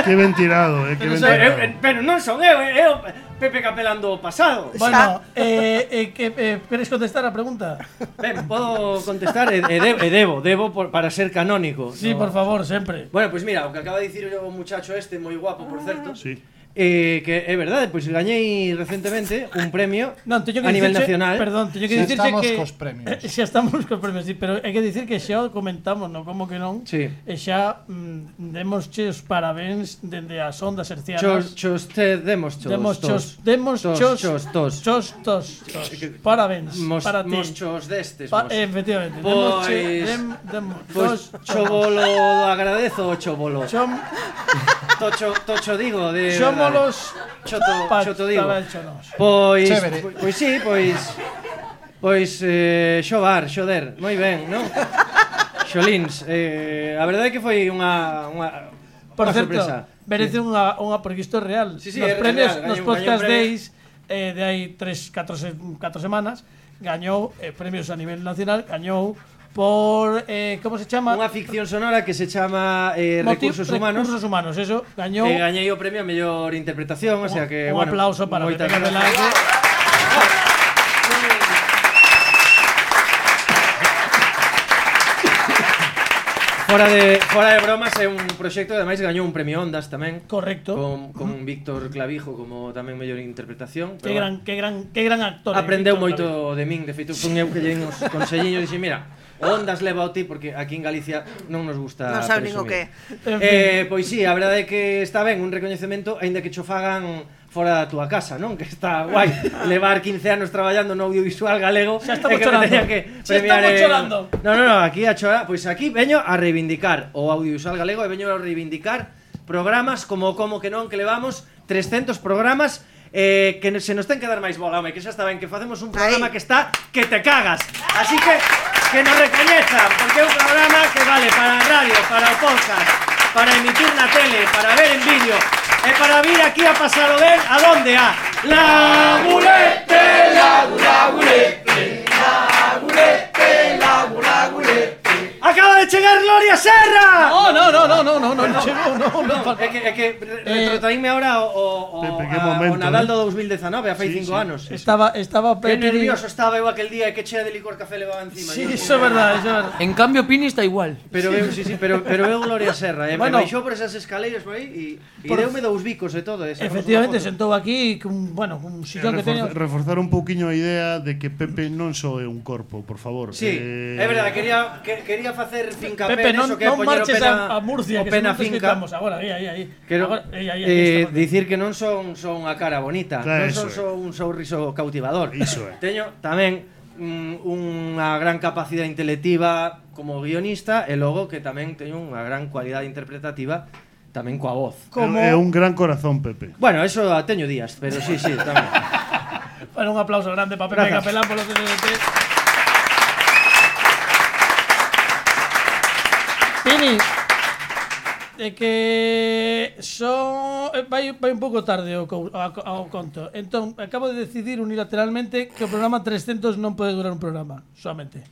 Que ben tirado, eh, que ben Pero, eu, tirado. eu, pero non son eu, é o Pepe Capelán do pasado. Bueno, eh, eh, que eh, queres contestar a pregunta? Ben, podo contestar e, e, de, e debo, debo por, para ser canónico. Sí, no? por favor, sempre. Bueno, pois pues mira, o que acaba de dicir o muchacho este, moi guapo, por certo. Sí. Eh, que é verdade, pois gañei recentemente un premio Non, teño que a nivel dicirche- nacional. Perdón, teño que Xa dicirche estamos que cos premios. Eh, xa estamos cos premios, sí, pero hai que dicir que xa o comentamos, non? Como que non? Sí. E xa mm, demos che os parabéns dende as ondas hercianas. Chos, chos, te, demos chos, Demos tos. chos, demos Tos, chos, chos, tos. chos, tos, tos. Parabéns Mos, para ti. mos chos destes, Pa, mos. efectivamente. Demos che, Pois- dem, demos Pois chos, chovolo agradezo o chovolo. Chom, Tocho, tocho digo de chomolos Choto, choto digo. patachonos. Pois, Chévere. pois, pois sí, pois pois eh, xovar, xoder, moi ben, non? Xolins, eh, a verdade é que foi unha unha Por unha certo, sorpresa. merece unha, unha porque isto é real. Sí, sí, nos é premios, real, nos gañou- podcast gañou un premio. days eh, de hai tres, catro, se- catro semanas, gañou eh, premios a nivel nacional, gañou por eh, como se chama? Unha ficción sonora que se chama eh, Motiv- Recursos Humanos. Recursos Humanos, eso, gañou. E gañei o premio a mellor interpretación, o sea que un bueno, aplauso para moitas Pepe gracias. Capelán. fora de fora de bromas é un proxecto que ademais gañou un premio Ondas tamén. Correcto. Con, con Víctor Clavijo como tamén mellor interpretación. Que gran, que gran, que gran actor. Aprendeu moito de min, de feito fun eu que lle din os conselliños e dixen, mira, Ondas leva o ti porque aquí en Galicia non nos gusta non sabe nin o que. Eh, pois sí, a verdade é que está ben un recoñecemento aínda que cho fagan fora da túa casa, non? Que está guai levar quince anos traballando no audiovisual galego. Xa estamos que chorando. Que Xa estamos en... chorando. No, no, no, aquí a chorar, pois aquí veño a reivindicar o audiovisual galego e veño a reivindicar programas como Como que non, que levamos trescentos programas eh, que se nos ten que dar máis bola, home, que xa está ben que facemos un programa Ahí. que está que te cagas. Así que que nos recoñezan, porque é un programa que vale para a radio, para o podcast, para emitir na tele, para ver en vídeo. E para vir aquí a pasalo ben, a donde? A Lagulete, Lagulete, Lagulete, Lagulete. Acaba de chegar Gloria Serra! Oh, no, no, no, no, no, no, no chegou, no, no. É que, é que retrotraínme ahora o, o, Pepe, que a, momento, o Nadal eh? do dos mil dezanove, a fai Sí, cinco sí. anos. Estaba, estaba Que Pepe. nervioso estaba eu aquel día e que chea de licor café levaba encima. Sí, Yo, eso é verdad, eso é verdad. En cambio, Pini está igual. Pero eu, sí, sí, pero, pero eu Gloria Serra, eh, Bueno. me baixou por esas escaleiras por aí e, e Por- deume dous bicos e todo. Eh, sacamos Efectivamente, unha foto. sentou aquí con, bueno, un sillón que Reforzar, teña. reforzar un pouquiño a idea de que Pepe non só é un corpo, por favor. Sí, eh, é verdade, quería, que, quería facer finca Pepe, non, neso que non poñer o marches pena, a, a Murcia, o que pena se non te finca. escoitamos agora, aí, aí, aí. Quero Agora, aí, aí, aí, eh, está. dicir que non son son a cara bonita, Claro, non eso son é. só un sorriso cautivador. Iso é. Teño tamén mm, unha gran capacidade intelectiva como guionista e logo que tamén teño unha gran cualidade interpretativa tamén coa voz. Como É un gran corazón, Pepe. Bueno, eso a teño días, pero sí, sí, tamén. Bueno, un aplauso grande para Pepe Gracias. Capelán polo C D T. Pini, é que son vai, vai un pouco tarde ao, co- ao, ao conto. Entón, acabo de decidir unilateralmente que o programa trescentos non pode durar un programa, solamente.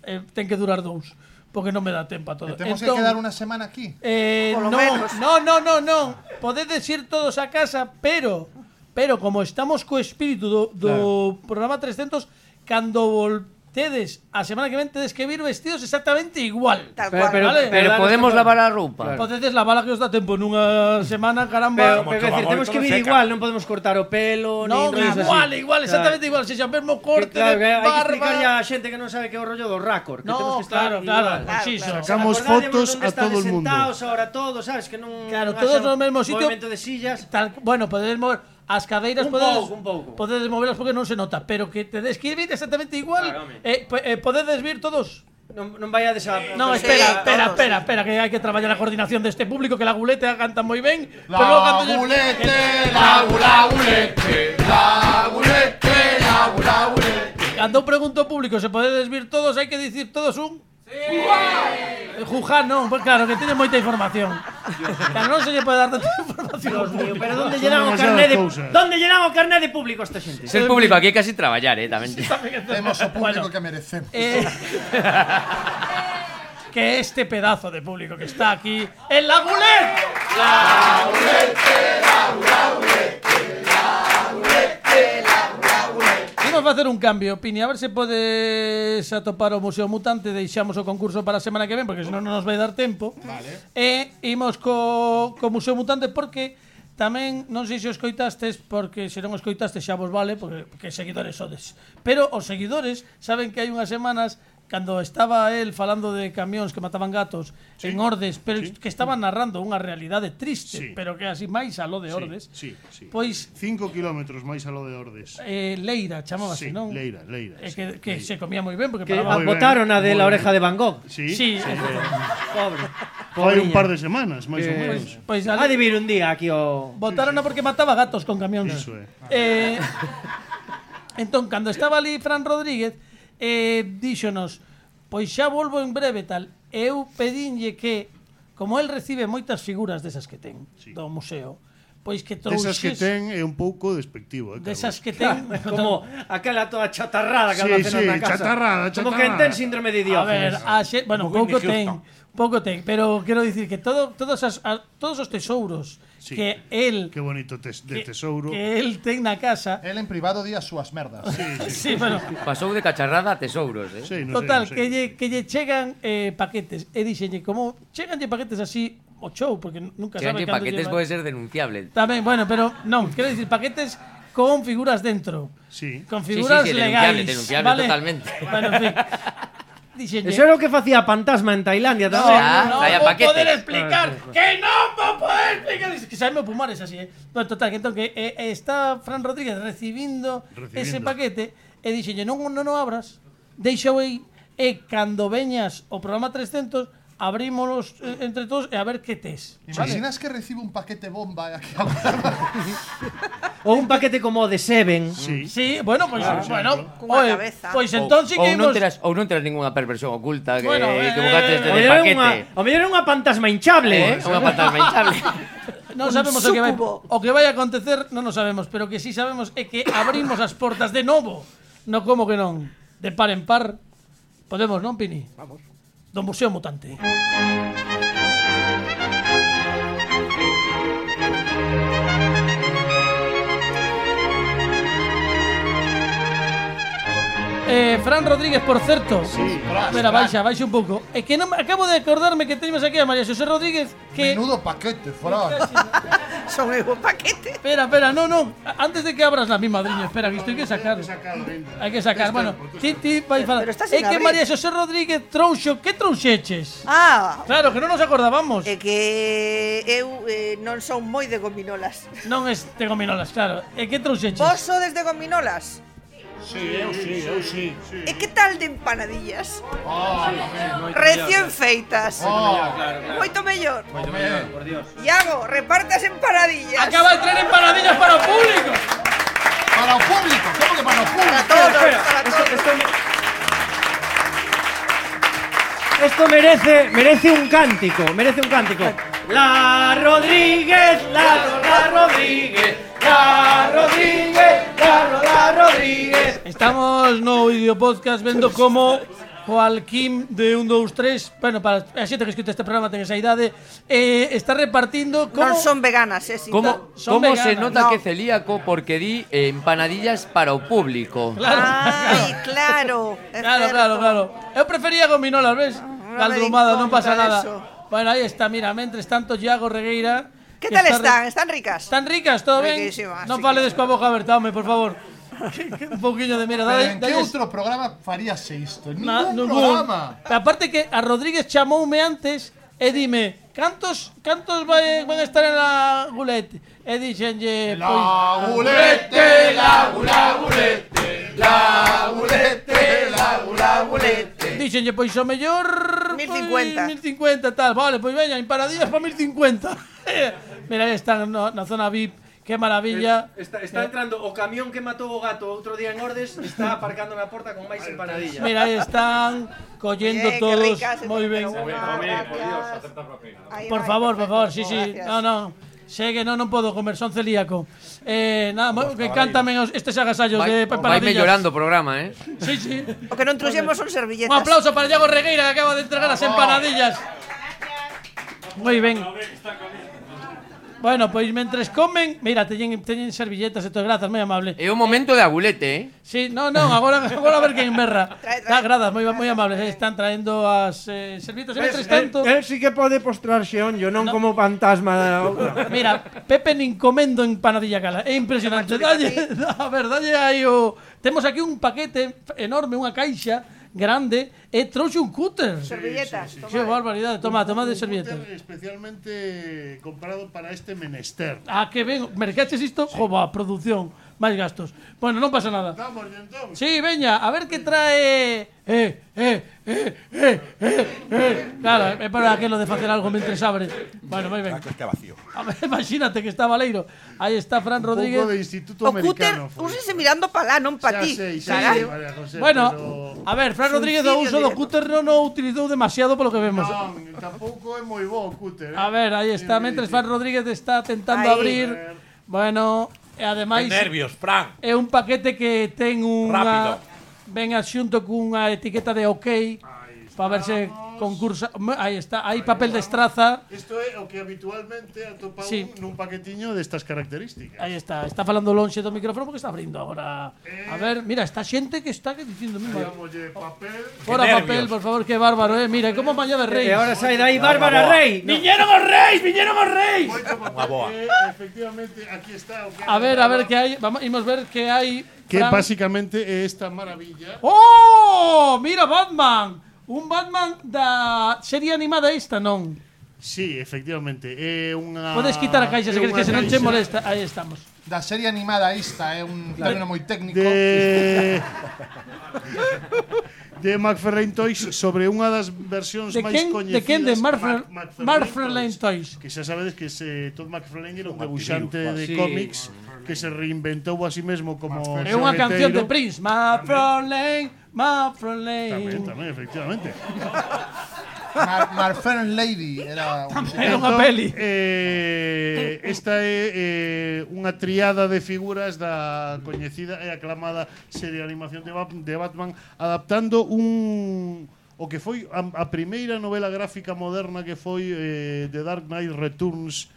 Eh, ten que durar dous, porque non me dá tempo a todo. E temos Entón, que quedar unha semana aquí. Eh, Polo no, menos. no, no, no, no. Podedes ir todos a casa, pero pero como estamos co espírito do, do programa trescentos, cando voltedes a semana que ven tedes que vir vestidos exactamente igual. Tal Pero- cual. pero- Vale. Pero Claro, podemos claro. lavar a roupa. Claro. Podedes lavar a que os dá tempo nunha semana, caramba. Pero, pero decir, temos que vir igual, non podemos cortar o pelo, No, nin rollos igual, así. igual, exactamente igual. Se xa mesmo corte Que, claro, que de hai que explicar ya barba. a xente que non sabe que é o rollo do raccord, que No, temos que estar claro, claro, igual. pues sí, Claro, so- Sacamos Acordádemos fotos onde a estades todo el mundo. sentados ahora todos, sabes, que non Claro, non todos haxa no mesmo sitio. movemento de sillas. Tal, bueno, podedes mover as cadeiras, Un podedes, pouco, un pouco. podedes movelas porque non se nota, pero que tedes que ir exactamente igual. Claro, home. eh, po- eh, podedes vir todos. Non, non vai a desa... No, Sí, espera, espera, todos. espera, espera, que hai que traballar a coordinación deste público, que la gulete canta moi ben, pero logo canto yo- Lagulete, lagulete, lagulete, lagulete. Cando eu pregunto ao público se podedes vir todos, hai que dicir todos un. Sí. Jujá non, pues claro, que teñe moita información. Claro, non se lle pode dar tanta información. Dios mío, pero donde Son llenan o demasiadas carné de... cousas. Donde llenan o carné de público esta xente? Ser público aquí é casi traballar, eh, tamén. Temos o público que merecemos. Eh, que este pedazo de público que está aquí en la Gulet. Vamos a facer un cambio, Pini, a ver se podes atopar o Museo Mutante. Deixamos o concurso para a semana que ven, porque senón non nos vai dar tempo. Vale. E imos co, co Museo Mutante porque tamén, non sei se o escoitastes, porque se non o escoitastes xa vos vale, porque, porque seguidores sodes. Pero os seguidores saben que hai unhas semanas, cando estaba el falando de camións que mataban gatos sí, en Ordes, pero sí, que estaba narrando unha realidade triste, Sí. pero que así máis aló de Ordes, Sí, sí. pois Cinco kilómetros máis aló de Ordes. eh, Leira Sí, chamábase, non? Leira, Leira. Eh, sí, que que Leira. se comía moi ben porque Que paraba Moi ben, botaron a de moi la ben. oreja de Van Gogh. Sí, Sí, Pobre. Fai un Pobriña. par de semanas, máis ou Eh, menos. pois Ha de vir un día aquí o... botaron porque mataba gatos con camións. Iso é. Eh, entón, cando estaba ali Fran Rodríguez, eh, díxonos, pois xa volvo en breve tal. Eu pedinlle que, como el recibe moitas figuras desas que ten Sí. do museo, pois que Desas que trouxes ten é un pouco despectivo, eh, Carlos. desas que ten Como aquela toda chatarrada que Sí, anda sí, facendo na casa. chatarrada, Como chatarrada. que ten síndrome de A ver, Diógenes. a xe, bueno, Como pouco Whitney ten, Houston. pouco ten, pero quero dicir que todo, todos, as, a, todos os tesouros Sí. que el Qué bonito tes, de que, tesouro. que el ten na casa. El en privado di as súas merdas. Sí, sí. Sí, bueno, Pasou de cacharrada a tesouros, eh? Sí, no total, sei, no que sei. lle, que lle chegan eh, paquetes. E dixenlle, como cheganlle paquetes así o show, porque nunca sabe Cheganlle cando paquetes lleva. pode ser denunciable. Tamén, bueno, pero non, quero dicir paquetes con figuras dentro. Sí. Con Sí, figuras sí, sí, legais, denunciable, denunciable vale? totalmente. Bueno, en fin. Dixenlle, Eso era o que facía Fantasma en Tailandia no, tamén. Ah, no, traía vou paquetes. poder explicar, que non vou poder explicar. Dice que sabe pumares así, eh. Bueno, total, que entón que eh, eh, está Fran Rodríguez recibindo, Recibindo. ese paquete e dixenlle, non, non o abras, deixa aí, e cando veñas o programa trescentos, abrímonos eh, entre todos e a ver que tes. Imaginas que recibe un paquete bomba aquí a Ou un paquete como o de Seven. Sí. Sí, bueno, pois, pues, bueno, Cunha oe, cabeza. pois entón sí ou, que ou non imos... terás, ou non terás ninguna perversión oculta que, Bueno, que eh, bugates de, O de mellor era paquete. unha, o mellor era unha fantasma hinchable. Eh? Unha fantasma hinchable. Non Un sabemos o que vai súcubo. o que vai a acontecer, non o sabemos, pero que sí sabemos é que abrimos as portas de novo. No como que non, de par en par. Podemos, non, Pini? Vamos. Do Museo Mutante. Eh, Fran Rodríguez, por certo. Sí, Espera, baixa, baixa un pouco. É que non acabo de acordarme que teñemos aquí a María Xosé Rodríguez que Menudo paquete, Fran. Son eu o paquete. Espera, espera, no, no. Antes de que abras la mi madriña, espera, que isto hai que sacar. Hai que sacar. Bueno, ti, ti vai falar. Pero está É sin que abrir. María Xosé Rodríguez trouxo, que trouxeches? Ah, Claro, que non nos acordábamos. é que eu eh, non son moi de gominolas. Non es de gominolas, claro. E que trouxeches? Vos sodes de gominolas? Sí, eu sí, eu sí. sí. E que tal de empanadillas? Recién feitas. Moito mellor. Por Dios. Iago, reparte as empanadillas. Acaba de traer empanadillas para o público. Para o público, como que para o Para público? todos, Espera, para esto, todos. esto, esto merece, merece un cántico, merece un cántico. La Rodríguez, la, la Rodríguez, la Rodríguez, la, la Rodríguez. Estamos no vídeo podcast vendo como Joaquín de un, dos, tres, bueno, para a xente que escuta este programa ten esa idade, eh, está repartindo como Non son veganas, eh, sin Como, tal. Son como se veganas. nota No. que é celíaco porque di eh, empanadillas para o público? Claro. Ai, claro. é Claro, certo. claro, claro. Eu prefería gominolas, ves? me Caldumada, non pasa conta nada. eso. Bueno, aí está, mira, mentres tanto Iago Regueira. Que que tal está están? re- Están ricas? Están ricas, todo ben? Riquísimas, Non sí faledes que- coa boca aberta, home, por favor. Que- que un pouquiño de mira, Pero dale, en que dale. outro programa faríase isto? En Na- ningún ningún. programa. Pero aparte que a Rodríguez chamoume antes e dime, cantos cantos vai, van a estar en la gulete? E dixenlle, pois, La gulete, la gula gulete, la gulete, la gula gulete. dixenlle, pois o mellor mil pois, cincuenta. mil cincuenta tal, vale, pois veña, empanadillas para mil cincuenta. Mira, aí están no, na zona V I P. Qué maravilla. Está, está entrando o camión que matou o gato outro día en Ordes, está aparcando na porta con máis empanadillas. Mira, aí están collendo Bien, qué todos ricas, moi ben. pero una, gracias. Ahí Por va, favor, por perfecto, favor, sí, sí. gracias. No, no. Sé que no, non podo comer, son celíaco. Eh, nada, mo- que cántame os- estes agasallos de Vai, vai empanadillas. mellorando o programa, eh? Sí, sí. O que non trouxemos son Un servilletas. aplauso para Iago Regueira que acaba de entregar as empanadillas. Moi ben. Bueno, pois mentres comen, mira, teñen, teñen servilletas e todo, grazas, moi amable. É o momento de agulete, eh? Sí, no, no, agora, agora a ver quen merra. Trae, trae. Ah, grazas, moi, moi amables, aí están traendo as eh, servilletas. E mentres tanto, Él sí que pode postrarse onllo, non como fantasma da outra. mira, Pepe nin comendo empanadilla cala. É impresionante. Dalle, a ver, dalle aí o... Temos aquí un paquete enorme, unha caixa grande, e trouxe un cúter. Servilletas. Que barbaridade. Toma, toma de Un servilletas. cúter especialmente comprado para este menester. Ah, que ben, mercaches isto, jova, producción, máis gastos. Bueno, non pasa nada. Vamos, entón. Sí, veña, a ver que trae... Eh, eh, eh, eh, eh, eh. Claro, é para aquilo de facer algo mentre abre. Bueno, moi ben. Está vacío. A ver, imagínate que está Valeiro. Aí está Fran Un pouco de Rodríguez. Instituto O cúter, Americano. foi. úsese mirando para lá, non para Xa ti. sei, xa Carai. sei, María José, Bueno, pero... a ver, Fran Rodríguez o uso do directo. cúter non o utilizou demasiado polo que vemos. Non, tampouco é moi bo o cúter. Eh? A ver, aí está, mentres Fran Rodríguez está tentando Aí. abrir. Bueno, e ademais Nervios, Fran. é un paquete que ten unha Rápido. ven xunto cunha etiqueta de OK para ver se concursa, aí está, hai papel de estraza. Isto é o que habitualmente atopa Sí. un nun paquetiño destas características. Aí está, está falando lonxe do micrófono porque está abrindo agora. A ver, mira, esta xente que está que dicindo mismo. Dámolle papel. Fora papel, por favor, que bárbaro, eh. Mira, como mañá de reis. E agora sai dai Bárbara Rey. Viñeron os reis, viñeron os reis. Unha boa. Efectivamente, aquí está o que A ver, a ver que hai, vamos imos ver que hai. que Fran. básicamente é esta maravilla. ¡Oh! Mira Batman. Un Batman da serie animada esta, non? Sí, efectivamente, é unha Podes quitar a caixa se é queres unha que se non che caixa molesta. Aí estamos. Da serie animada esta é un término moi técnico. de de McFarlane Toys sobre unha das versións De máis quen, coñecidas. de quen de Marfar, Mac- McFarlane Toys. Que xa sabedes que se Todd McFarlane era un debuxante de Sí. cómics que se reinventou a sí mesmo como É unha canción de xogueteiro. Prince. McFarlane, McFarlane. Tamén, tamén, efectivamente. Mar Marfern Lady era un... Era unha peli. Eh, esta é eh, unha triada de figuras da coñecida e aclamada serie de animación de, Bat de Batman adaptando un o que foi a, a primeira novela gráfica moderna que foi eh, The Dark Knight Returns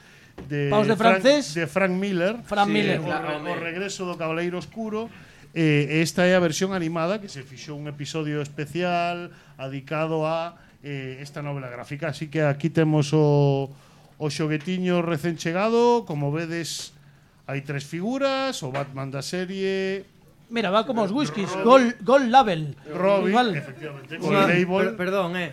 de Paus de Frank, francés. de Frank Miller, Frank Miller. o, re, o regreso do Cabaleiro Oscuro. Eh, esta é a versión animada que se fixou un episodio especial dedicado a eh, esta novela gráfica, así que aquí temos o, o xoguetiño recén chegado, como vedes hai tres figuras, o Batman da serie, Mira, va como os whiskies, Gold, gold Label. Robin, Igual. efectivamente, Sí, con el label. per- perdón, eh.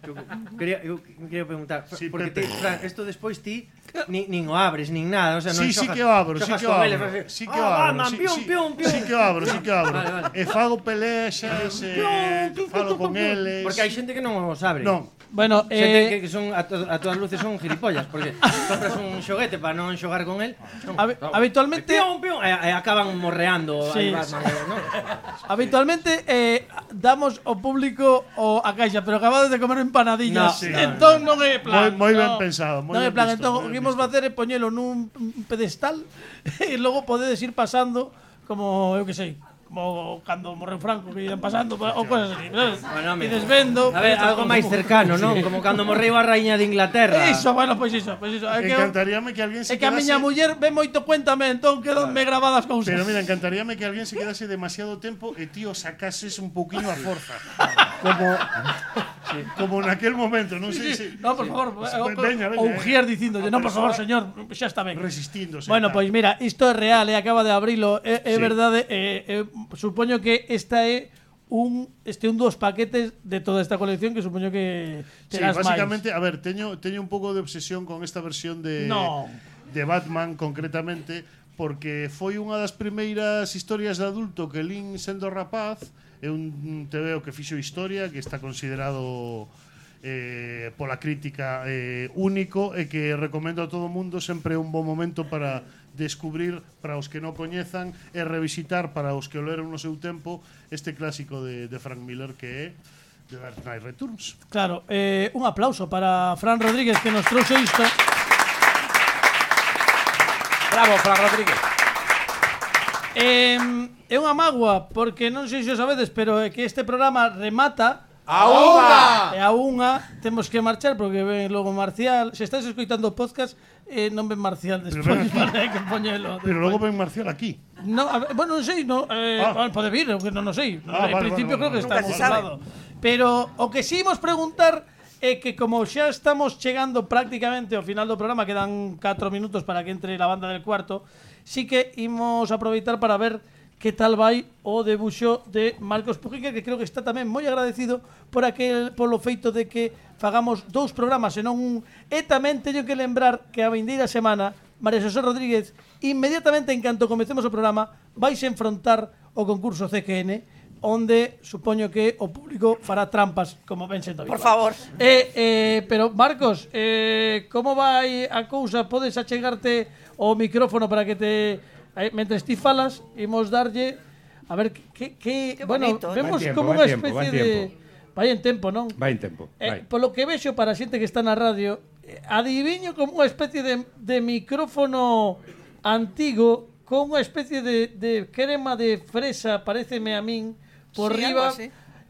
Eu quería, eu quería preguntar, Sí, porque Pepe. ti, Fran, esto despois ti ni, nin o abres, nin nada, o sea, non Sí, sí xogas- que o abro, sí xogas que o con abro. eles, fas así, Sí que o "Ah, abro, Batman, sí, pium, sí, pium, pium". sí que o abro, sí que o abro. Vale, vale. E fago pelexas, e falo con eles. Porque hai xente que non os abre. Non. Bueno, Xente que, eh, que son a, to, a todas luces son gilipollas, porque compras un xoguete para non xogar con el. Non, Habi- no. habitualmente- Pium, pium, e, e acaban morreando Sí, aí Batman, eh, ¿no? habitualmente eh, damos ao público o a caixa, pero acabades de comer empanadillas. No, sí, no, entón non é plan. Moi- moi ben no. pensado, moi Non é ben plan, visto, entón moi o ben que imos visto. facer é poñelo nun un pedestal e logo podedes ir pasando como, eu que sei, como cando morreu Franco que iban pasando ou cosas así, sabes? Bueno, e mira. desvendo. A ver, algo máis cercano, non? Como cando morreu a raíña de Inglaterra. Iso, bueno, pois iso, pois iso. É que, eu- Encantaríame que alguén se é que a quedase miña muller ve moito cuéntame, entón quedanme grabadas cousas. Pero mira, encantaríame que alguén se quedase demasiado tempo e tío sacases un pouquiño a forza. Como como naquel momento, non sei se No, por favor, o, veña, veña, o eh. Ujier dicíndolle, A non, por favor, persoa señor, xa está ben. resistíndose. Bueno, tal. pois mira, isto é real, e acaba de abrilo, é, é Sí. verdade, eh, eh, supoño que esta é un este un dos paquetes de toda esta colección que supoño que Sí, terás básicamente, a ver, teño teño un pouco de obsesión con esta versión de No. de Batman concretamente porque foi unha das primeiras historias de adulto que lín sendo rapaz, é un tebeo que fixo historia, que está considerado eh, pola crítica eh, único e que recomendo a todo mundo, sempre é un bon momento para descubrir para os que non coñezan e revisitar para os que o leron no seu tempo este clásico de, de Frank Miller que é The Dark Knight Returns. Claro, eh, un aplauso para Fran Rodríguez que nos trouxe isto. Bravo, Fran Rodríguez. Eh, é unha mágoa porque non sei se o sabedes, pero é que este programa remata A unha! e a unha temos que marchar porque ven logo Marcial. Se estáis escoitando o podcast, eh, non ven Marcial despois, para que poñelo. Pero logo ven Marcial aquí. No, a ver, bueno, non sei, no, eh, Ah. bueno, pode vir, eu que non o sei. Ah, En vale, principio vale, creo que vale. está Nunca se sabe. lado. Pero o que si imos preguntar é que como xa estamos chegando prácticamente ao final do programa, quedan catro minutos para que entre la banda del cuarto, sí que imos aproveitar para ver que tal vai o debuxo de Marcos Pujica, que creo que está tamén moi agradecido por aquel polo feito de que fagamos dous programas e non un. E tamén teño que lembrar que a vindeira semana María José Rodríguez, inmediatamente en canto comecemos o programa, vais enfrontar o concurso C Q N, onde supoño que o público fará trampas, como ben sendo habitual. Por favor. Eh, eh, pero Marcos, eh, como vai a cousa? Podes achegarte o micrófono para que te eh, mentres ti falas, imos darlle a ver que que Qué bueno, bonito, eh. vemos Vai en tempo, como vai unha en tempo, especie vai en de tempo. vai en tempo, non? Vai en tempo, Eh, vai. polo que vexo para a xente que está na radio, eh, adiviño como unha especie de, de micrófono antigo con unha especie de, de crema de fresa, pareceme a min, por Sí, riba. algo así.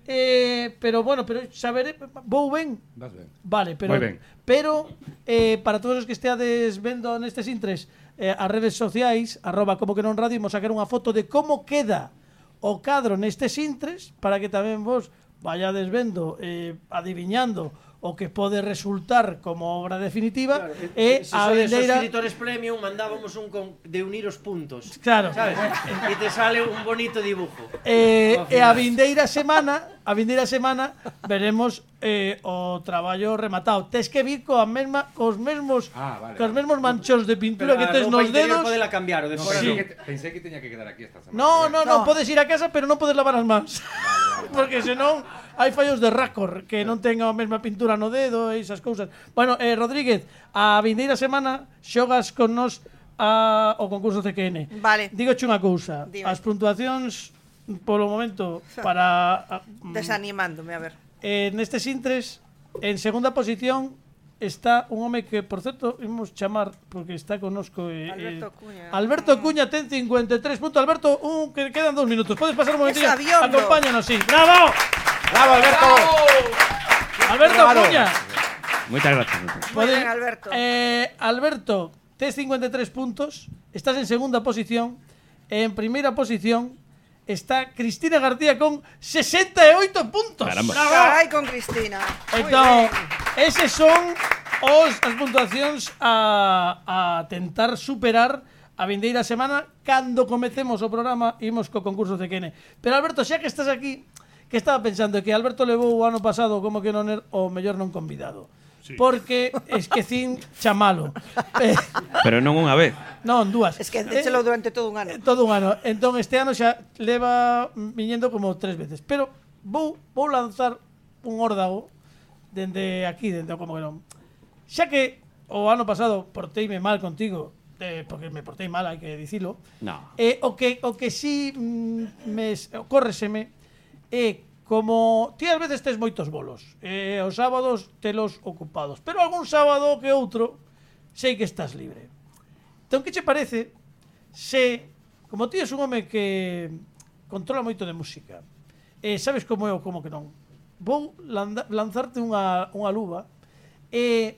Eh, pero bueno, pero saberé, vou ben? Vas ben. Vale, pero Moi ben. pero eh, para todos os que esteades vendo nestes intres eh, as redes sociais, arroba como que non radio, imos sacar unha foto de como queda o cadro nestes intres para que tamén vos vayades vendo, eh, adiviñando o que pode resultar como obra definitiva. Claro, e se a sodes vindeira escritores premium mandábamos un con, de unir os puntos. Claro. Sabes? E te sale un bonito dibujo. Eh, Ao e a final. vindeira semana, a vindeira semana veremos eh, o traballo rematado. Tes que vir coa mesma cos mesmos Ah, vale, cos vale. mesmos manchóns de pintura Pero que a tes roupa nos interior dedos. podela cambiar o de No, fora pensé, non. que, pensé que teña que quedar aquí esta semana. No, no, no, No. podes ir a casa, pero non podes lavar as mans. Porque senón hai fallos de racor que non tenga a mesma pintura no dedo e esas cousas. Bueno, eh, Rodríguez, a vindeira semana xogas con nos a, o concurso C Q N. Vale. Dígoche unha cousa, Dime. as puntuacións polo momento para a, Desanimándome, a ver. eh, nestes intres en segunda posición está un home que, por certo, imos chamar porque está connosco eh, Alberto eh, Cuña. Alberto Cuña ten cincuenta e tres puntos. Alberto, un, que quedan dos minutos. Podes pasar un momentinho. Es aviondo. Acompáñanos, sí. ¡Bravo! Bravo, Alberto. Alberto Bravo. Cuña. Moitas gracias. Muy Pode- bien, Alberto. Eh, Alberto, tes cincuenta e tres puntos. Estás en segunda posición. En primeira posición está Cristina García con sesenta e oito puntos. Caramba. Carai con Cristina. Muy Entón, bien. eses son os as puntuacións a, a tentar superar a vindeira semana cando comecemos o programa imos co concurso C Q N. Pero Alberto, xa que estás aquí, que estaba pensando que Alberto levou o ano pasado como que non er o mellor non convidado. Sí. Porque esquecín chamalo. Eh, Pero non unha vez. non, dúas. Es que déchelo durante todo un ano. Eh, todo un ano. Entón este ano xa leva viñendo como tres veces. Pero vou vou lanzar un órdago dende aquí, dende o como que non. Xa que o ano pasado porteime mal contigo, eh, porque me portei mal, hai que dicilo. No. Eh, o que o que si mm, me ocórreseme é como ti ás veces tes moitos bolos, eh, os sábados telos ocupados, pero algún sábado que outro sei que estás libre. Entón, que che parece se, como ti és un home que controla moito de música, e sabes como é o como que non, vou landa, lanzarte unha, unha luva e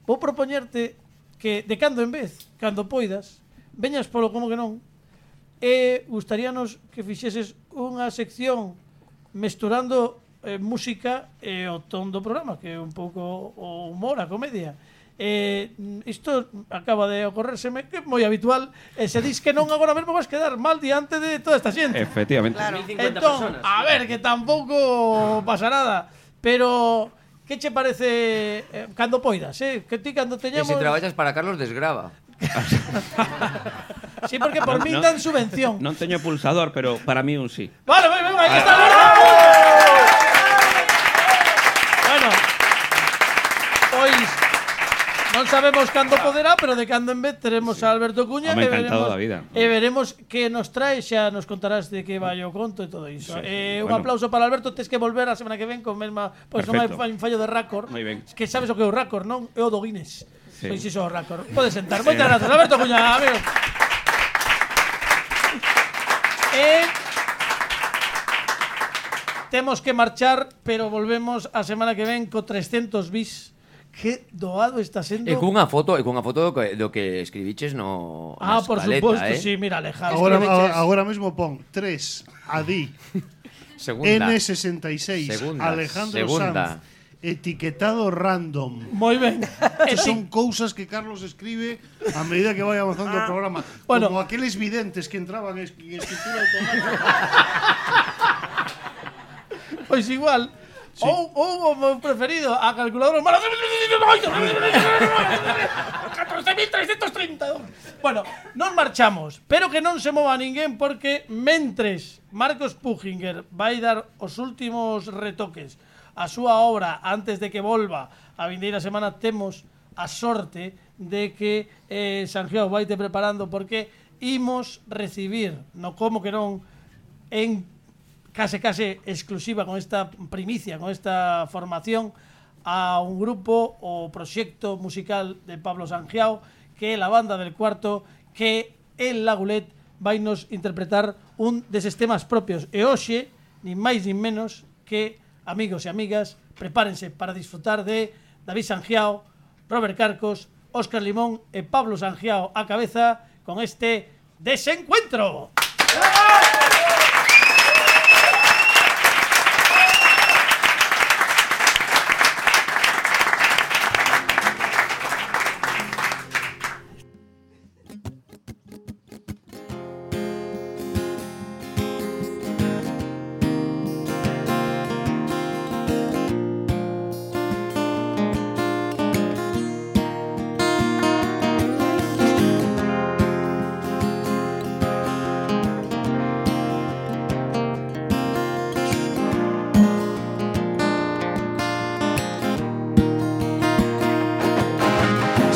vou propoñerte que de cando en vez, cando poidas, veñas polo como que non e gustaríanos que fixeses unha sección mesturando eh, música e o ton do programa, que é un pouco o humor, a comedia. Eh, isto acaba de ocorrérseme que é moi habitual e se dis que non agora mesmo vas quedar mal diante de toda esta xente. Efectivamente. Claro. Entón, a ver, que tampouco pasa nada, pero que che parece eh, cando poidas, eh? Que ti cando Que teñamos... se traballas para Carlos Desgrava. Sí, porque por min No. dan subvención. Non teño pulsador, pero para mí un sí. Vale, vale, vale, aquí está Alberto. Bueno, pois non sabemos cando poderá, pero de cando en vez teremos a Alberto Cuña Home, e encantado veremos, da vida. e veremos que nos trae, xa nos contarás de que vai o conto e todo iso. Sí, eh, un bueno. aplauso para Alberto, tes que volver a semana que ven con mesma, pois non hai Perfecto. fa- un fallo de récord. Moi ben. Que sabes o que é o récord, non? É o do Guinness. Sí. Pois iso é o récord. Podes sentar. Moitas grazas, Alberto Cuña, amigo. E temos que marchar, pero volvemos a semana que ven co trescentos bis. Que doado está sendo. E cunha foto, e cunha foto do que, do que escribiches no Ah, na por escaleta, suposto, eh? sí, mira, Alejandro. Agora, Escribiches- agora mesmo pon tres Adi Segunda. N sesenta y seis Segunda. Alejandro Segunda. Sanz etiquetado random. Moi ben. Estas son cousas que Carlos escribe a medida que vai avanzando o programa. Bueno. Como aqueles videntes que entraban en es- en escritura automática. Pois igual. Ou, ou o meu preferido, a calculadora catorce mil trescentos treinta. Bueno, non marchamos, pero que non se mova ninguén porque mentres Marcos Pujinger vai dar os últimos retoques a súa obra antes de que volva a vindeira semana, temos a sorte de que eh, Sanjiao vai te preparando porque imos recibir, no como que non, en case case exclusiva con esta primicia, con esta formación a un grupo o proxecto musical de Pablo Sanjiao que é la banda del cuarto que el Lagulet vai nos interpretar un deses temas propios e hoxe, nin máis nin menos que, amigos e amigas, prepárense para disfrutar de David Sangiao, Robert Carcos, Óscar Limón e Pablo Sangiao á cabeza con este Desencuentro.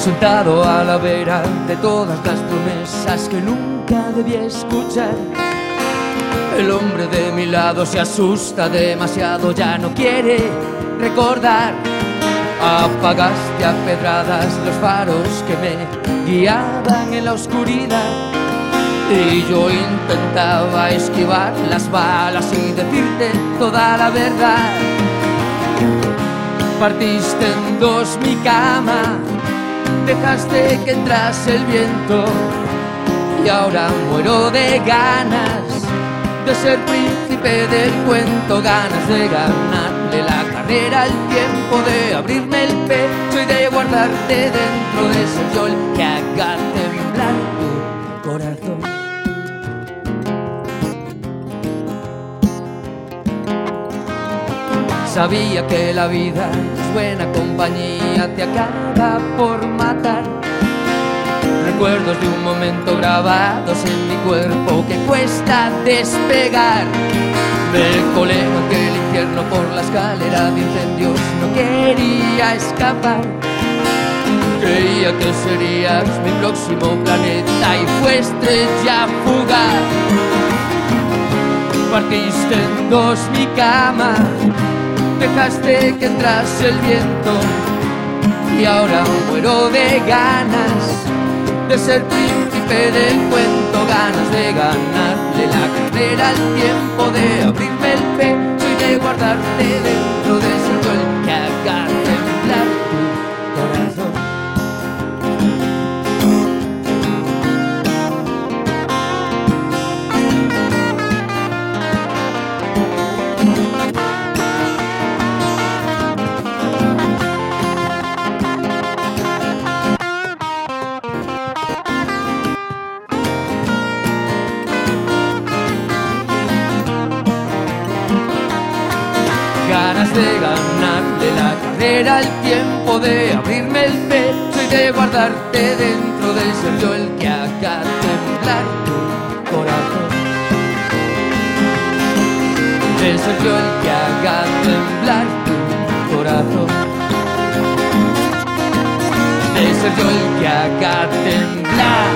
Sentado a la vera de todas las promesas que nunca debí escuchar, el hombre de mi lado se asusta demasiado, ya no quiere recordar. Apagaste a pedradas los faros que me guiaban en la oscuridad, y yo intentaba esquivar las balas y decirte toda la verdad. Partiste en dos mi cama, dejaste que entrase el viento, y ahora muero de ganas de ser príncipe del cuento, ganas de ganarle la carrera al tiempo, de abrirme el pecho y de guardarte dentro de ese yo el que haga temblar tu corazón. Sabía que la vida es buena compañía, te acaba por matar. Recuerdos de un momento grabados en mi cuerpo que cuesta despegar. Me colé en aquel infierno por la escalera de incendios, no quería escapar. Creía que serías mi próximo planeta y fue estrella fugaz. Partiste en dos mi cama, dejaste que entrase el viento, y ahora muero de ganas de ser príncipe del cuento, ganas de ganarle la carrera al tiempo, de abrirme el pecho y de guardarte dentro de ese yo el que haga temblar tu corazón. Ganas de ganarle la carrera al tiempo, de abrirme el pecho y de guardarte dentro de ser yo el que haga temblar tu corazón. De ser yo el que haga temblar tu corazón. De ser yo el que haga temblar